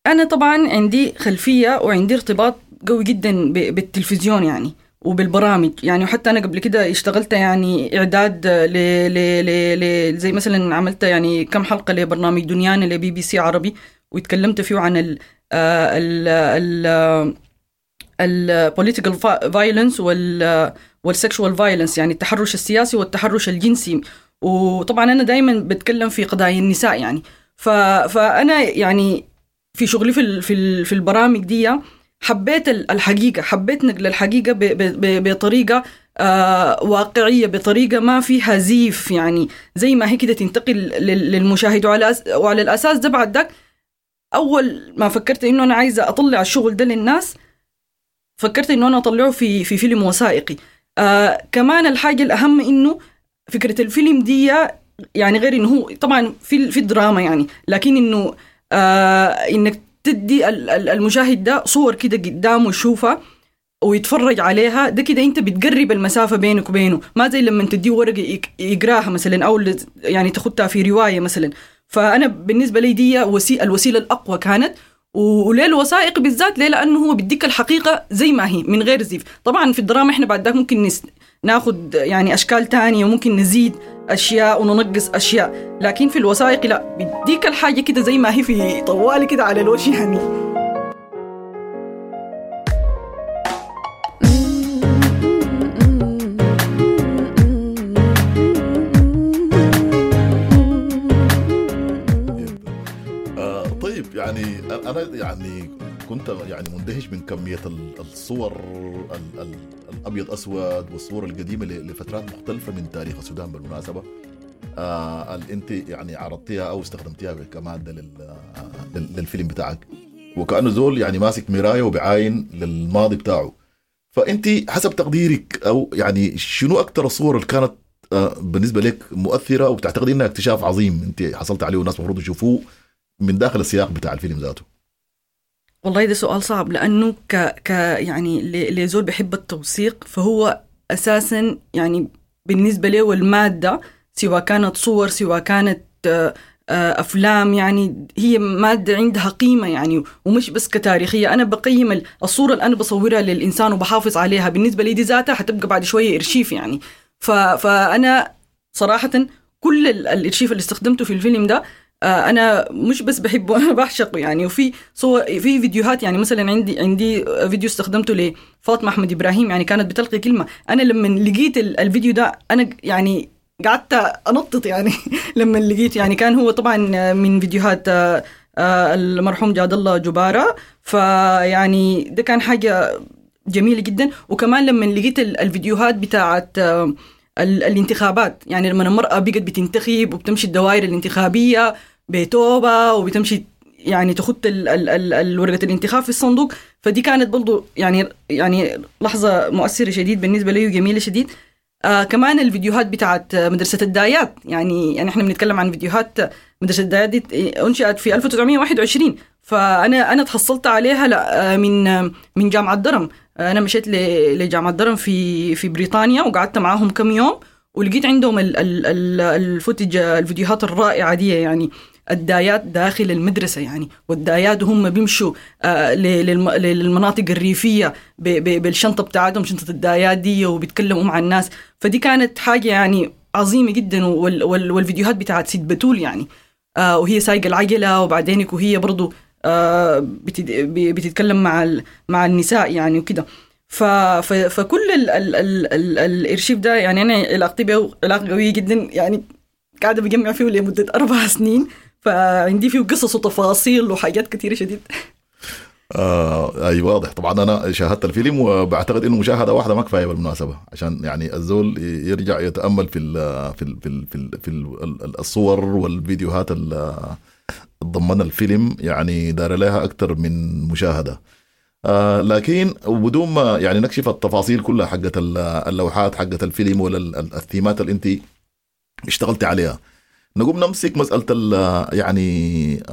[SPEAKER 12] انا طبعا عندي خلفية وعندي ارتباط قوي جدا بالتلفزيون يعني وبالبرامج، يعني وحتى أنا قبل كده اشتغلت يعني إعداد ل ل ل زي مثلا عملت يعني كم حلقة لبرنامج دنيانا لبي بي سي عربي، وتكلمت فيه عن ال ال ال ال political violence وال sexual violence، يعني التحرش السياسي والتحرش الجنسي. وطبعا أنا دايما بتكلم في قضايا النساء يعني، فأنا يعني في شغلي في البرامج دي حبيت الحقيقة، حبيت نقل الحقيقة بطريقة واقعية بطريقة ما فيها زيف، يعني زي ما هي كده تنتقل للمشاهد. وعلى الأساس ده بعد ذاك أول ما فكرت إنه أنا عايزة أطلع الشغل ده للناس، فكرت إنه أنا أطلعه في فيلم وثائقي. كمان الحاجة الأهم إنه فكرة الفيلم دي يعني غير إنه هو طبعا في الدراما يعني، لكن إنه إنك تدي المشاهد ده صور كده قدامه يشوفها ويتفرج عليها، ده كده انت بتقرب المسافة بينك وبينه، ما زي لما تديه ورقة يقراها مثلا او يعني تاخدها في رواية مثلا. فانا بالنسبة لي دي الوسيلة الاقوى كانت. وليه الوثائق بالذات؟ ليه؟ لانه هو بيديك الحقيقة زي ما هي من غير زيف. طبعا في الدراما احنا بعد ذاك ممكن ناخد يعني اشكال تانية وممكن نزيد اشياء وننقص اشياء، لكن في الوثائق لا، بيديك الحاجة كده زي ما هي في طوالي كده على الوش يعني.
[SPEAKER 11] يعني أنا يعني كنت يعني مندهش من كمية الصور الأبيض أسود والصور القديمة لفترات مختلفة من تاريخ السودان بالمناسبة، اللي أنت يعني عرضتيها أو استخدمتيها كمادة للفيلم بتاعك، وكأنه زول يعني ماسك مراية وبعاين للماضي بتاعه. فأنت حسب تقديرك أو يعني شنو أكتر الصور اللي كانت بالنسبة لك مؤثرة وبتعتقدي إنها اكتشاف عظيم أنت حصلت عليه والناس المفروض يشوفوه من داخل السياق بتاع الفيلم ذاته؟
[SPEAKER 12] والله ده سؤال صعب، لأنه ك يعني لزول بحب التوثيق، فهو أساسا يعني بالنسبة له المادة سواء كانت صور سواء كانت أفلام، يعني هي مادة عندها قيمة يعني، ومش بس كتاريخية. أنا بقيم الصورة اللي أنا بصورها للإنسان وبحافظ عليها، بالنسبة لي دي ذاتها حتبقى بعد شوية إرشيف يعني. فأنا صراحة كل الإرشيف اللي استخدمته في الفيلم ده أنا مش بس بحبه، أنا بعشقه يعني. وفي صور، في فيديوهات يعني، مثلا عندي فيديو استخدمته لفاطمة أحمد إبراهيم، يعني كانت بتلقي كلمة. أنا لما لقيت الفيديو ده أنا يعني قعدت أنطط يعني لما لقيت، يعني كان هو طبعا من فيديوهات المرحوم جاد الله جبارة، فيعني ده كان حاجة جميلة جدا. وكمان لما لقيت الفيديوهات بتاعت الانتخابات، يعني لما المرأة بقت بتنتخب وبتمشي الدوائر الانتخابية بتوبة وبتمشي يعني تخط الورقة الانتخاب في الصندوق، فدي كانت برضو يعني لحظة مؤثرة شديد بالنسبة لي وجميلة شديد. كمان الفيديوهات بتاعت مدرسة الدايات، يعني احنا بنتكلم عن فيديوهات مدرسة الدايات دي أنشئت في 1921، فأنا تحصلت عليها من جامعة درم. أنا مشيت لجامعة درم في بريطانيا وقعدت معاهم كم يوم، ولقيت عندهم الفوتج، الفيديوهات الرائعة دي يعني، الدايات داخل المدرسة يعني، والدايات هم بيمشوا للمناطق الريفية بالشنطة بتاعتهم، شنطة الدايات دي، وبيتكلموا مع الناس. فدي كانت حاجة يعني عظيمة جدا. والفيديوهات بتاعت سيد بتول يعني، وهي سايقة العجلة، وبعدينك وهي برضو بتتكلم مع النساء يعني وكده. فكل ال ال ال ال الارشيف ده يعني انا علاقتي به علاقه قويه جدا يعني، قاعده بجمع فيه لمده 4 سنين، فعندي فيه قصص وتفاصيل وحاجات كثيره شديد.
[SPEAKER 11] اي واضح. طبعا انا شاهدت الفيلم وبعتقد انه مشاهده واحده ما كفايه بالمناسبه، عشان يعني الزول يرجع يتامل في ال في ال في ال في, ال في ال الصور والفيديوهات اللي ضمن الفيلم، يعني دار لها اكثر من مشاهده. لكن وبدون ما يعني نكشف التفاصيل كلها حقت اللوحات حقت الفيلم ولا الثيمات اللي انت اشتغلتي عليها، نقوم نمسك مسألة يعني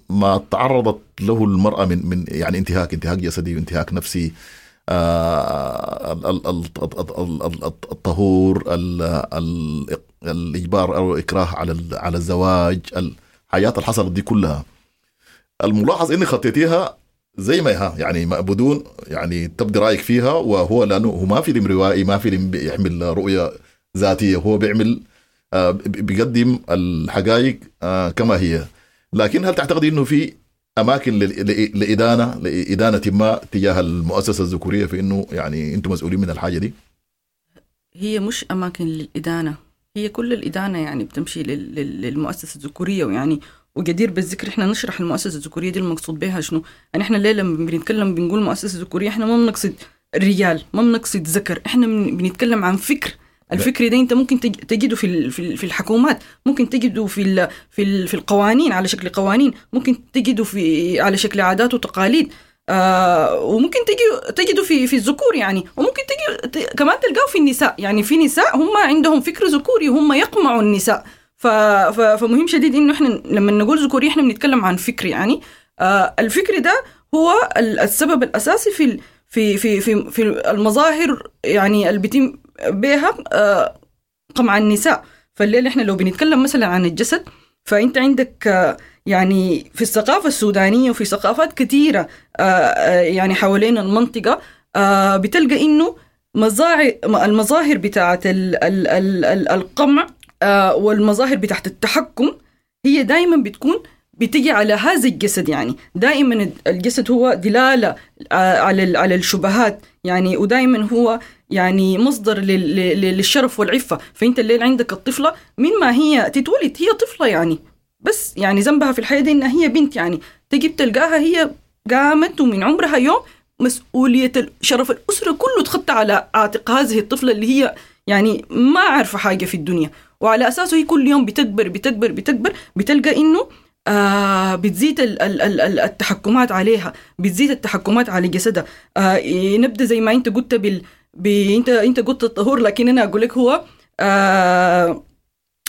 [SPEAKER 11] ما تعرضت له المرأة من يعني انتهاك جسدي وانتهاك نفسي، الطهور، الإجبار أو الإكراه على الزواج، الحياة اللي حصلت دي كلها. الملاحظ إني خطيتيها زي ما هي يعني، بدون يعني تبدي رأيك فيها، وهو لأنه هو ما فيلم روائي، ما فيلم بيحمل رؤية ذاتية، هو بيعمل بيقدم الحقائق كما هي. لكن هل تعتقد انه في اماكن لإدانة ما تجاه المؤسسة الذكورية في انه يعني انتم مسؤولين من الحاجة دي؟
[SPEAKER 12] هي مش اماكن للإدانة، هي كل الإدانة يعني بتمشي للمؤسسة الذكورية. ويعني وجدير بالذكر احنا نشرح المؤسسة الذكورية دي المقصود بها شنو. يعني احنا ليه لما بنتكلم بنقول مؤسسة ذكورية احنا ما بنقصد رجال، ما بنقصد ذكر، احنا بنتكلم عن فكر. الفكر ده انت ممكن تجده في الحكومات، ممكن تجده في القوانين على شكل قوانين، ممكن تجده على شكل عادات وتقاليد، وممكن تجده في الذكور يعني، وممكن كمان تلقاه في النساء. يعني في نساء هم عندهم فكر ذكوري وهم يقمعوا النساء. فمهم شديد انه احنا لما نقول ذكوري احنا بنتكلم عن فكر يعني. الفكر ده هو السبب الاساسي في في في في في المظاهر يعني اللي بيتم بها قمع النساء. فالليل احنا لو بنتكلم مثلا عن الجسد، فانت عندك يعني في الثقافة السودانية وفي ثقافات كثيرة يعني حوالين المنطقة، بتلقى انه المظاهر بتاعت القمع والمظاهر بتاعت التحكم هي دائما بتكون بتجي على هذا الجسد. يعني دائما الجسد هو دلالة على الشبهات يعني، ودائما هو يعني مصدر للشرف والعفة. فأنت الليل عندك الطفلة من ما هي تتولد هي طفلة يعني، بس يعني ذنبها في الحياة دي إنها هي بنت يعني، تجي تلقاها هي قامت ومن عمرها يوم مسؤولية شرف الأسرة كله تخطى على عاتق هذه الطفلة اللي هي يعني ما عارفة حاجة في الدنيا، وعلى أساسه هي كل يوم بتكبر بتكبر بتكبر، بتلقى إنه بتزيد التحكمات عليها، بتزيد التحكمات على جسدها. نبدأ زي ما أنت قلت أنت قلت الطهور، لكن أنا أقول لك هو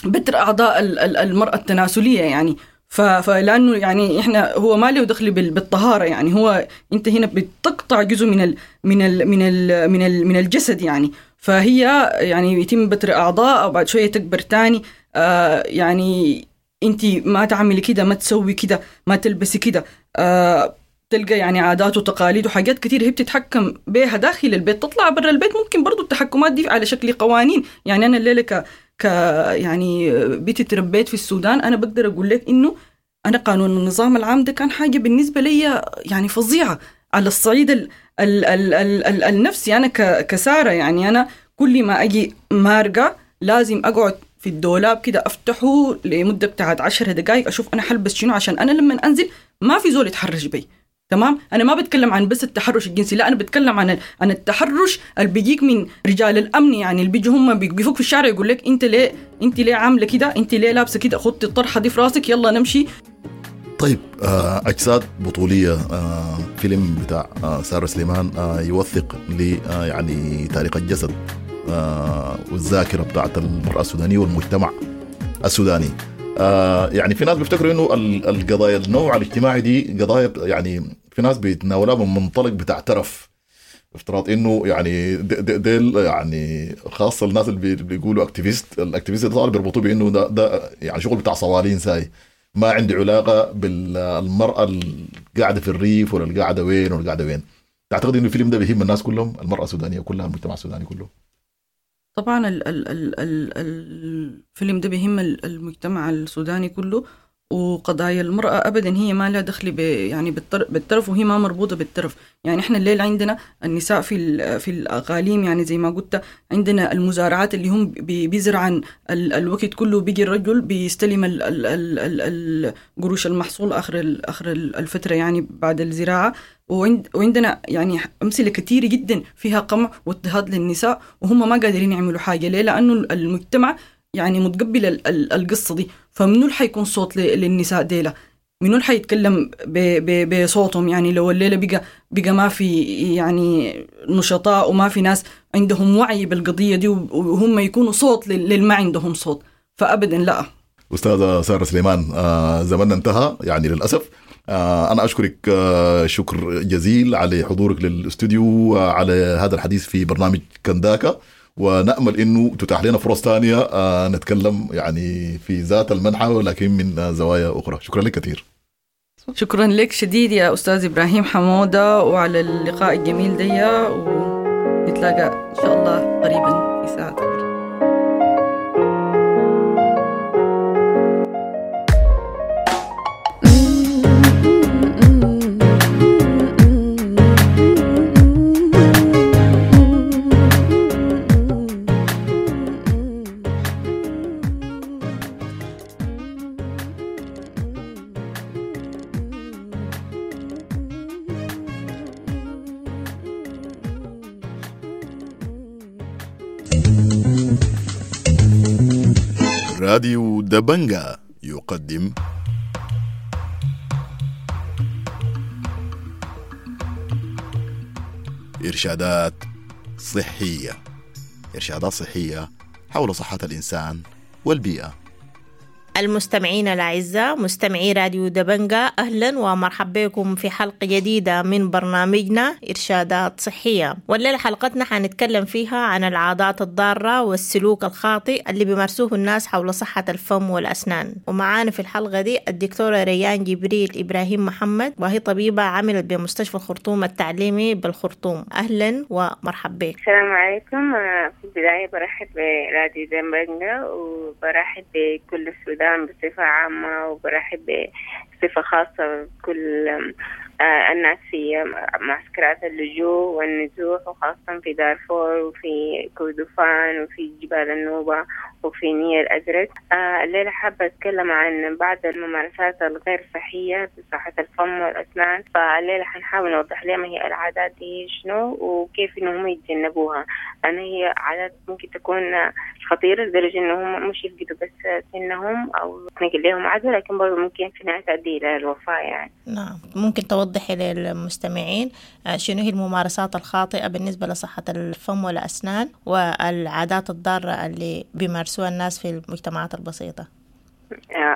[SPEAKER 12] بتر أعضاء المرأة التناسلية يعني. فلأنه يعني إحنا هو ما له دخل بالطهارة يعني، هو أنت هنا بتقطع جزء من ال من ال من ال من ال من الجسد يعني. فهي يعني يتم بتر أعضاء وبعد شوية تكبر تاني، يعني أنت ما تعملي كده، ما تسوي كده، ما تلبسي كده، تلقى يعني عادات وتقاليد وحاجات كتير هي بتتحكم بها داخل البيت. تطلع برا البيت ممكن برضو التحكمات دي على شكل قوانين يعني. أنا الليلة ك يعني بيتي تربيت في السودان، أنا بقدر أقول لك إنه أنا قانون النظام العام ده كان حاجة بالنسبة لي يعني فظيعة على الصعيد ال ال ال ال ال النفسي. أنا كسارة يعني، أنا كل ما أجي مارقة لازم أقعد في الدولاب كده أفتحه لمدة بتاعت 10 دقايق أشوف أنا حلبس شنو، عشان أنا لما أنزل ما في زول يتحرش بي. تمام، أنا ما بتكلم عن بس التحرش الجنسي، لا أنا بتكلم عن التحرش اللي بيجيك من رجال الأمن يعني، اللي بيجوا هم بيقفوك في الشارع يقول لك أنت ليه عاملة كده، أنت ليه لابسة كده، خدي الطرحة دي في راسك، يلا نمشي.
[SPEAKER 11] طيب، أجساد بطولية، فيلم بتاع سارة سليمان يوثق ل يعني تاريخ الجسد والذاكرة بتاعت المرأة السودانية والمجتمع السوداني. يعني في ناس بيفتكروا إنه القضايا النوع الاجتماعي دي قضايا، يعني في ناس بيتناولها من منطلق بتاع ترف، افتراض إنه يعني ديل يعني خاصة الناس اللي بيقولوا activist، ال activist ده بيربطوه بإنه ده يعني شغل بتاع صوالين ساي، ما عندي علاقة بالمرأة القاعدة في الريف ولا القاعدة وين ولا القاعدة وين. تعتقد إنه الفيلم ده بيهم الناس كلهم، المرأة السودانية كلها، المجتمع السوداني كله؟
[SPEAKER 12] طبعا الفيلم ده بيهم المجتمع السوداني كله، وقضايا المرأة أبدا هي ما لها دخل يعني بالترف، وهي ما مربوطة بالترف يعني. إحنا الليل عندنا النساء في الأقاليم يعني زي ما قلت، عندنا المزارعات اللي هم بيزرعن الوقت كله، بيجي الرجل بيستلم القروش المحصول آخر الفترة يعني بعد الزراعة. وعندنا يعني أمثلة كثيرة جدا فيها قمع واضطهاد للنساء، وهم ما قادرين يعملوا حاجة. ليه؟ لأنه المجتمع يعني متقبل القصة دي. فمنو اللي حيكون صوت للنساء ديلا؟ منو اللي حيتكلم بصوتهم؟ يعني لو الليلة بقى ما في يعني نشطاء وما في ناس عندهم وعي بالقضية دي، وهم يكونوا صوت للما عندهم صوت، فأبدا لا.
[SPEAKER 11] أستاذة سارة سليمان، زمننا انتهى يعني للأسف. أنا أشكرك شكر جزيل على حضورك للاستوديو، على هذا الحديث في برنامج كنداكا، ونأمل إنه تتاح لنا فرص ثانية نتكلم يعني في ذات المنحى ولكن من زوايا أخرى. شكرا لك كثير.
[SPEAKER 12] شكرا لك شديد يا أستاذ إبراهيم حمودة، وعلى اللقاء الجميل دي، ونتلاقى إن شاء الله قريبا في ساعة أخرى.
[SPEAKER 11] راديو دبنجا يقدم إرشادات صحية. إرشادات صحية حول صحة الإنسان والبيئة.
[SPEAKER 4] المستمعين الأعزاء، مستمعي راديو دبنجا، أهلا ومرحبا بكم في حلقة جديدة من برنامجنا إرشادات صحية. والليلة حلقتنا حنتكلم فيها عن العادات الضارة والسلوك الخاطئ اللي بيمارسوه الناس حول صحة الفم والأسنان. ومعانا في الحلقة دي الدكتورة ريان جبريل إبراهيم محمد، وهي طبيبة عملت بمستشفى الخرطوم التعليمي بالخرطوم. أهلا ومرحبا بك.
[SPEAKER 14] السلام عليكم. في البداية برحب براديو دبنجا وبرحب بكل السودان بصفة عامة، وبرحب بصفة خاصة بكل الناس في معسكرات اللجوء والنزوح، وخاصة في دارفور وفي كردفان وفي جبال النوبة وفي نيل الأزرق. الليلة حابة أتكلم عن بعض الممارسات الغير صحية في صحة الفم والأسنان. فالليلة حنحاول نوضح لهم هي العادات دي شنو وكيف إنهم يتجنبوها. أنا هي عادات ممكن تكون خطيرة لدرجة إنهم مش يفقدوا بس سنهم أو تنقل لهم عدوى، لكن برضه ممكن في نهاية تؤدي إلى الوفاة يعني.
[SPEAKER 4] نعم، ممكن توضحي للمستمعين شنو هي الممارسات الخاطئة بالنسبة لصحة الفم والأسنان والعادات الضارة اللي بيمارسوها الناس في المجتمعات البسيطة؟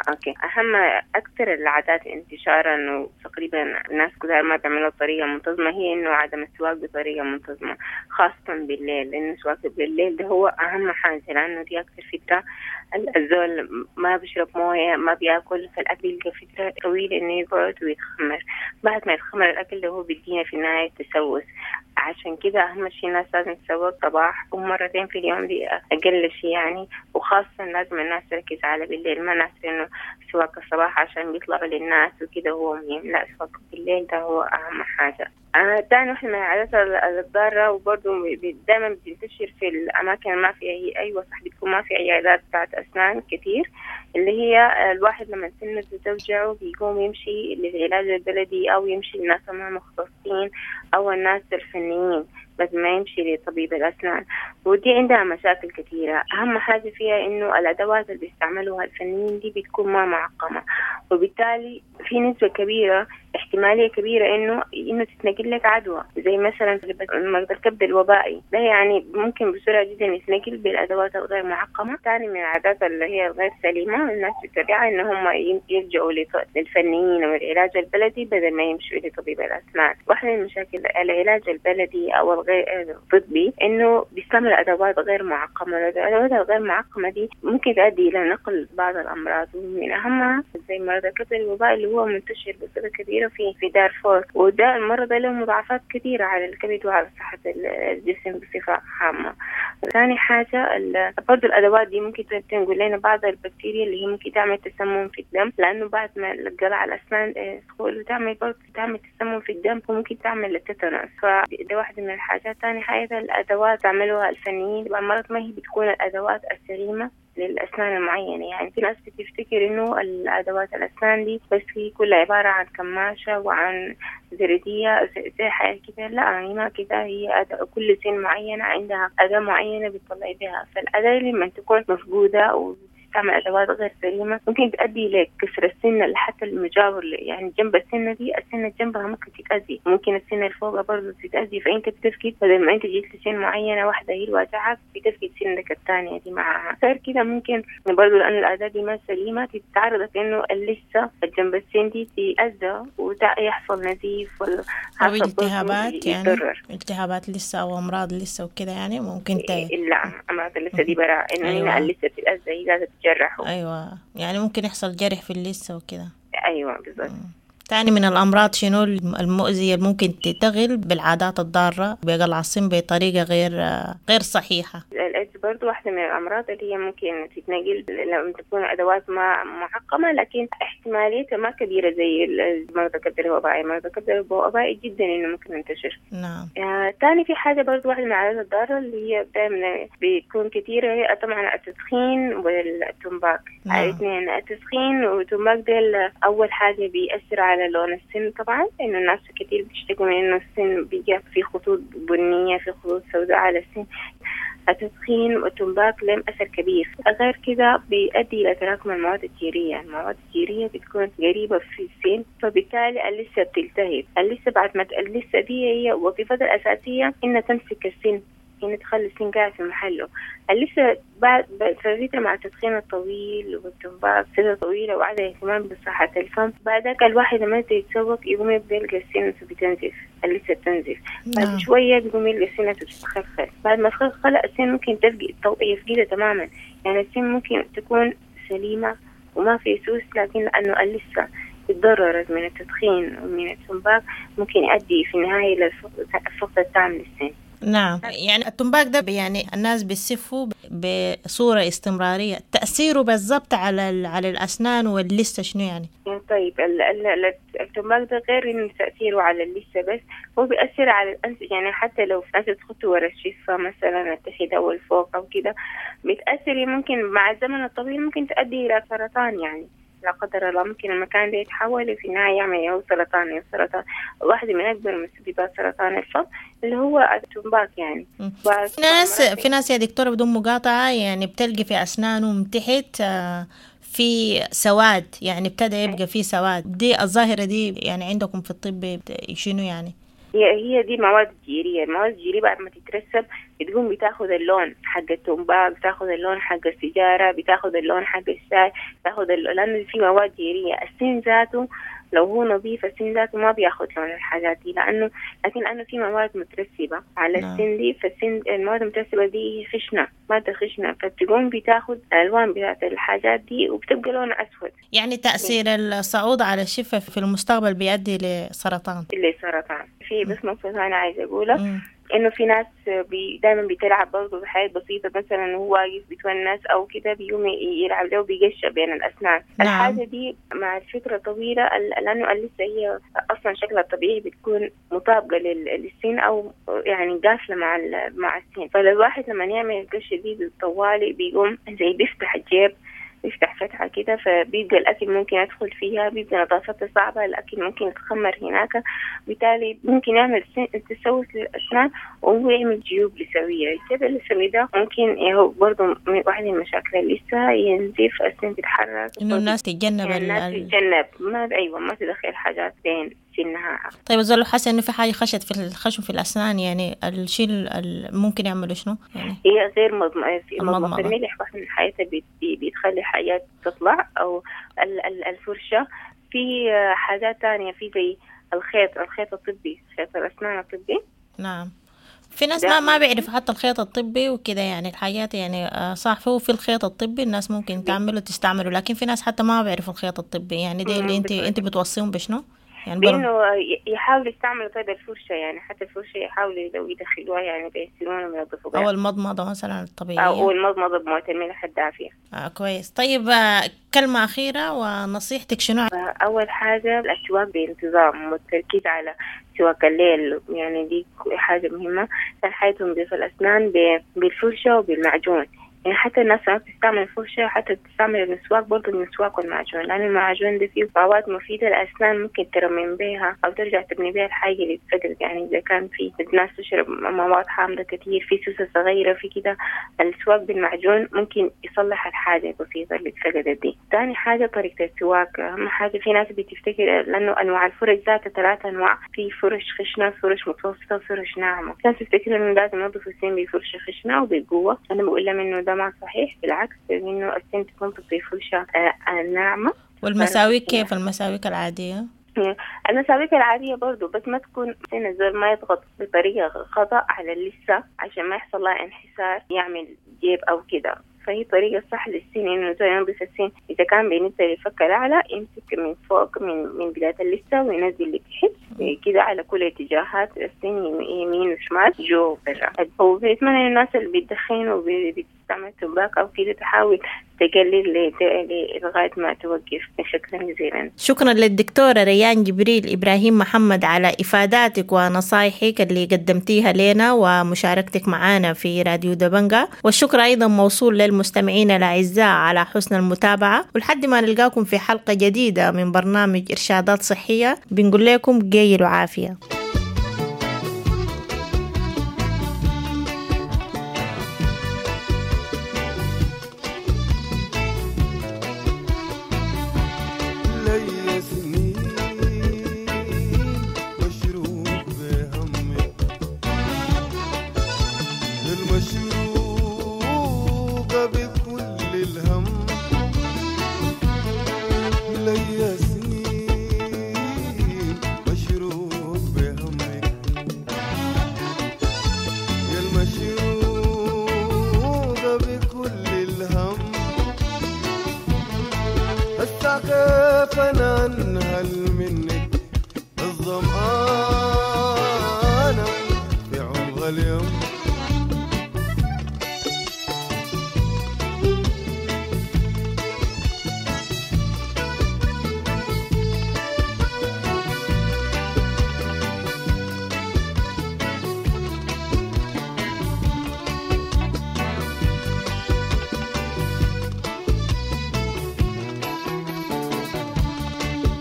[SPEAKER 14] أوكي. أهم أكثر العادات انتشاراً وتقريباً الناس كلها ما بيعملوها بطريقة منتظمة هي إنه عدم السواك بطريقة منتظمة، خاصة بالليل، لأنه السواك بالليل ده هو أهم حاجة، لأنه دي أكثر فترة الزول ما بيشرب موية، ما بياكل، فالأكل يلقى فترة طويلة إنه يقعد ويتخمر. بعد ما يتخمر الأكل ده هو بيدينا في النهاية تسوس. عشان كده أهم شيء الناس لازم تسوق صباح ومرتين في اليوم، دي أقل شيء يعني. وخاصة لازم الناس تركز على بالليل، ما ناس إنه سواك الصباح عشان بيطلعوا للناس وكده هو مهم، لا، سواك بالليل ده هو أهم حاجة. تاني واحدة من العادات الضارة وبرضه دايما بتنتشر في الأماكن ما فيها هي أيوة صح، بتكون ما في عيادات بتاعت أسنان كتير، اللي هي الواحد لما سنه توجعه بيقوم يمشي للعلاج البلدي أو يمشي للناس المختصين أو الناس الفنيين بدل ما يمشي لطبيب الأسنان. ودي عندها مشاكل كثيرة. أهم حاجة فيها إنه الأدوات اللي بيستعملوها الفنيين دي بتكون ما معقمة، وبالتالي في نسبة كبيرة، احتمالية كبيرة إنه تتنقل لك عدوى، زي مثلا مرض الكبد الوبائي ده، يعني ممكن بسرعة جدا يتنقل بالأدوات الغير معقمة. ثاني من العادات اللي هي الغير سليمة الناس بتتبعها إن هم يلجأوا للفنيين والعلاج البلدي بدل ما يمشوا لطبيب الأسنان. واحدة من مشاكل العلاج البلدي أو الغير الطبي إنه بيستعمل أدوات غير معقمة. الأدوات الغير معقمة دي ممكن تؤدي إلى نقل بعض الأمراض، ومن أهمها زي مرض الكبد الوبائي اللي هو منتشر بصورة كبيرة في دارفور، وده المرض له مضاعفات كثيرة على الكبد وعلى صحة الجسم بصفة عامة. ثاني حاجة برضو الأدوات دي ممكن تنقل لنا بعض البكتيريا اللي هي ممكن تعمل تسمم في الدم، لأنه بعد ما القلع الأسنان تدخل وتعمل برضو تعمل تسمم في الدم وممكن تعمل التيتانوس، فده واحدة من الحاجات. ثاني حاجة الأدوات تعملوها الفنيين مرات ما هي بتكون الأدوات السليمة للأسنان المعينة. يعني في ناس بتفتكر إنه الأدوات الأسنان دي بس هي كلها عبارة عن كماشة وعن زردية زي حاجة كده، لا يعني ما كده، هي كل سن معينة عندها أداة معينة بتطلع بها. فالأداة لما تكون مفقودة وتستعمل أدوات غير سليمة ممكن تؤدي لكسر السنة حتى المجاور، يعني جنب السنة دي السنة جنبها ممكن تتأذي، ممكن السنة اللي فوقها برضه تتأذي. فأنت بتفقد بدل ما أنت جيت لسن معينة واحدة هي الواجعة بتفقد سنك الثانية دي معها. غير كده ممكن برضه لأن الأداة دي ما سليمة تتعرض إنه لسه جنب السن دي تتأذى ويحصل نزيف ولا
[SPEAKER 4] أو التهابات، يعني التهابات لسه أو أمراض لسه وكده، يعني ممكن
[SPEAKER 14] لا أمراض لسه دي براء إنه أيوة. هنا لسه بتتأذى هي قاعدة تجرحه.
[SPEAKER 4] أيوة، يعني ممكن يحصل جرح في اللثة وكده.
[SPEAKER 14] أيوة بالضبط.
[SPEAKER 4] تاني من الأمراض شنو المؤذية اللي ممكن تتغل بالعادات الضارة بقلع السن بطريقة غير صحيحة؟
[SPEAKER 14] الإيدز برضو واحدة من الأمراض اللي هي ممكن تتنقل لما تكون أدوات ما معقمة، لكن احتماليتها ما كبيرة زي مرض الكبد الوبائي. مرض الكبد الوبائي جدا إنه ممكن ينتشر.
[SPEAKER 4] نعم.
[SPEAKER 14] تاني في حاجة برضو واحدة من العادات الضارة اللي هي دائما بتكون كثيرة هي طبعا التدخين والتمباك. نعم. الاثنين، التدخين والتمباك ديل أول حاجة بيأثر على على لون السن طبعا، لأنه الناس كتير بيشتكوا من إنه السن بيجي في خطوط بنية، في خطوط سوداء على السن. التدخين والتمباك لهم أثر كبير. غير كده بيؤدي إلى تراكم المواد الجيرية. المواد الجيرية بتكون قريبة في السن، فبالتالي اللثة بتلتهب. اللثة بعد ما اللثة دي هي وظيفتها الأساسية إنها تمسك السن، إنها تخلي السن قاعد في محله. اللثة بعد فترة مع التدخين الطويل والتمباك فترة طويلة وعدم الاهتمام بصحة الفم، بعدك الواحد لما يتسوق يقوم يبدأ يلقى السن بتنزف، اللثة بتنزف. بعد شوية بيقوم يلقى السن بتتخلخل. بعد ما تخلخل السن ممكن يفقدها تماما. يعني السن ممكن تكون سليمة وما في سوس، لكن لأنه اللثة تضررت من التدخين ومن التمباك ممكن يؤدي في النهاية إلى الفقد التام للسن.
[SPEAKER 4] نعم، يعني التمباك ده يعني الناس بيسفوا بصورة استمرارية، تأثيره بالضبط على الأسنان واللثة شنو يعني؟
[SPEAKER 14] طيب التمباك ده غير إنه تأثيره على اللثة بس، هو بيأثر على الأنف. يعني حتى لو أنت تخطه ورا الشفة مثلا التحت أو الفوق أو كده بتأثر، ممكن مع الزمن الطويل ممكن تؤدي إلى سرطان. يعني لا قدر الله ممكن المكان ده يتحول في النهاية يعمل أو سرطان. سرطان واحدة من أكبر مسببات سرطان الفم اللي هو التمباك يعني.
[SPEAKER 4] في ناس يا دكتورة بدون مقاطعة يعني بتلقي في أسنانهم تحت في سواد، يعني ابتدى يبقى في سواد. دي الظاهرة دي يعني عندكم في الطب شنو يعني؟
[SPEAKER 14] هي دي مواد جيرية. المواد الجيرية بعد ما تترسب بتقوم بتاخذ اللون حق التمباك، بتاخذ اللون حق السيجارة، بتاخذ اللون حق الشاي، بتاخذ لأنه في مواد جيرية. السن ذاته لو هو نظيف السن ذاته ما بياخذ لون الحاجات دي، لكن لأنه في مواد مترسبة على السن دي، فالسن المواد المترسبة دي هي خشنة، مادة خشنة، فتقوم بتاخذ الألوان بتاعت الحاجات دي وبتبقى لون أسود.
[SPEAKER 4] يعني تأثير الصعود على الشفة في المستقبل بيؤدي لسرطان.
[SPEAKER 14] لسرطان. في بس نقطة أنا عايزة أقولها، إنه في ناس دايما بتلعب برضه بحاجات بسيطة، مثلا هو واقف بيتونس أو كده بيقوم يلعب له بيقشع بين الأسنان. نعم. الحاجة دي مع الفترة طويلة، لأنه اللثة هي أصلا شكلها الطبيعي بتكون مطابقة للسن أو يعني قافلة مع السن، فالواحد لما يعمل القشة دي بالطوالي بيقوم زي بيفتح الجيب، بيفتح فتحة كده، فبيبقى الأكل ممكن يدخل فيها، بيبقى نظافتها صعبة، الأكل ممكن يتخمر هناك، بالتالي ممكن يعمل تسوس للأسنان وهو يعمل جيوب لثوية. الجيب اللثوي ده ممكن هو برضه من واحد من المشاكل اللثة، ينزف، السن تتحرك،
[SPEAKER 4] إنه الناس تتجنب،
[SPEAKER 14] يعني الناس تتجنب ما أيوة ما تدخل حاجات بين سنها.
[SPEAKER 4] طيب الزول حاسس إنه في حاجة خشت في الخشم في الأسنان، يعني الشيء ممكن يعمله شنو؟ يعني
[SPEAKER 14] هي غير مضمضة الملح واحد من الحاجات بتخلي حاجات تطلع، أو الفرشة. في حاجات تانية، في زي الخيط الطبي، خيط الأسنان الطبي.
[SPEAKER 4] نعم، في ناس ما بيعرف حتى الخيط الطبي وكده، يعني الحاجات يعني صح، هو في الخيط الطبي الناس ممكن تعمله تستعمله، لكن في ناس حتى ما بيعرفوا الخيط الطبي. يعني دي اللي انت بتوصيهم بشنو؟
[SPEAKER 14] يعني بانه يحاولوا يستعملوا طيب الفرشة، يعني حتى الفرشة يحاولوا لو يدخلوها يعني بين سنونهم وينظفوا بها،
[SPEAKER 4] أو المضمضة مثلا الطبيعية،
[SPEAKER 14] أو المضمضة بمويه الملح الدافية.
[SPEAKER 4] كويس. طيب كلمة أخيرة ونصيحتك شنو؟
[SPEAKER 14] أول حاجة السواك بانتظام والتركيز على سواك الليل، يعني دي حاجة مهمة. ثاني حاجة تنظيف الأسنان بالفرشة وبالمعجون، يعني حتى الناس ما بتستعمل الفرشة، حتى بتستعمل المسواك برضه، المسواك والمعجون، لأن المعجون ده فيه مواد مفيدة للأسنان ممكن ترمم بيها أو ترجع تبني بيها الحاجة اللي اتفقدت. يعني إذا كان في ناس تشرب مواد حامضة كتير، في سوسة صغيرة، في كده، السواك بالمعجون ممكن يصلح الحاجة البسيطة اللي اتفقدت دي. تاني حاجة طريقة السواك، أهم حاجة في ناس بتفتكر لأنه أنواع الفرش ذاتها 3 أنواع، في فرش خشنة، فرش متوسطة، فرش ناعمة. ناس تفتكر إنه لازم ينظفوا السن بفرشة خشنة وبقوة، أنا بقول لهم إنه ده ما صحيح، بالعكس إنه السن تكون بفرشة ناعمة.
[SPEAKER 4] والمساويك كيف؟ المساويك العادية؟
[SPEAKER 14] المساويك العادية برضو، بس ما تكون سن الزول ما يضغط بطريقة خطأ على اللثة عشان ما يحصل لها انحسار يعمل جيب أو كده. فهي طريقة صح للسن إنه زي ينظف السن، إذا كان بالنسبة للفك الأعلى يمسك من فوق من بداية اللثة وينزل لتحت، كده على كل اتجاهات السن، يمين وشمال، جو برا. وبنتمنى إنه الناس اللي بتدخن وبتستعمل تمباك أو كده تحاول تقلل لغاية ما توقف. شكرا جزيلا.
[SPEAKER 15] شكرا للدكتورة ريان جبريل إبراهيم محمد على إفاداتك ونصايحك اللي قدمتيها لنا ومشاركتك معنا في راديو دبنجا، والشكر أيضا موصول للمستمعين الأعزاء على حسن المتابعة، ولحد ما نلقاكم في حلقة جديدة من برنامج إرشادات صحية بنقول لكم قيل وعافية.
[SPEAKER 1] لي سنين مشروق بهمك، المشروقة بكل الهم. لي سنين مشروق بهمك، يا المشروقة بكل الهم. هسا كيف انا انهل منك الظمآنة في عمق اليوم.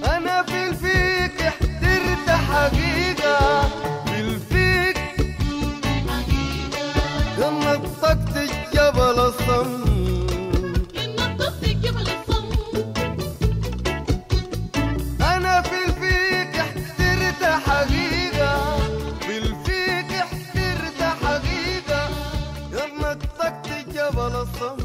[SPEAKER 1] أنا في الفيك احترت حقيقة، في الفيك نطقت الجبل الصم، أنا في الفيك احترت حقيقة، في الفيك احترت حقيقة، نطقت الجبل الصم.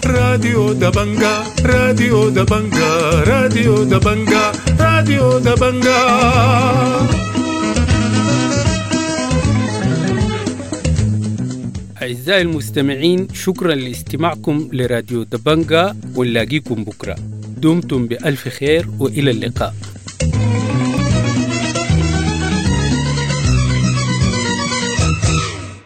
[SPEAKER 16] راديو دبنجا، راديو دبنجا، راديو دبنجا، راديو دبنجا.
[SPEAKER 17] أعزائي المستمعين، شكرا لاستماعكم لراديو دبنجا، ونلاقيكم بكرة. دمتم بألف خير وإلى اللقاء.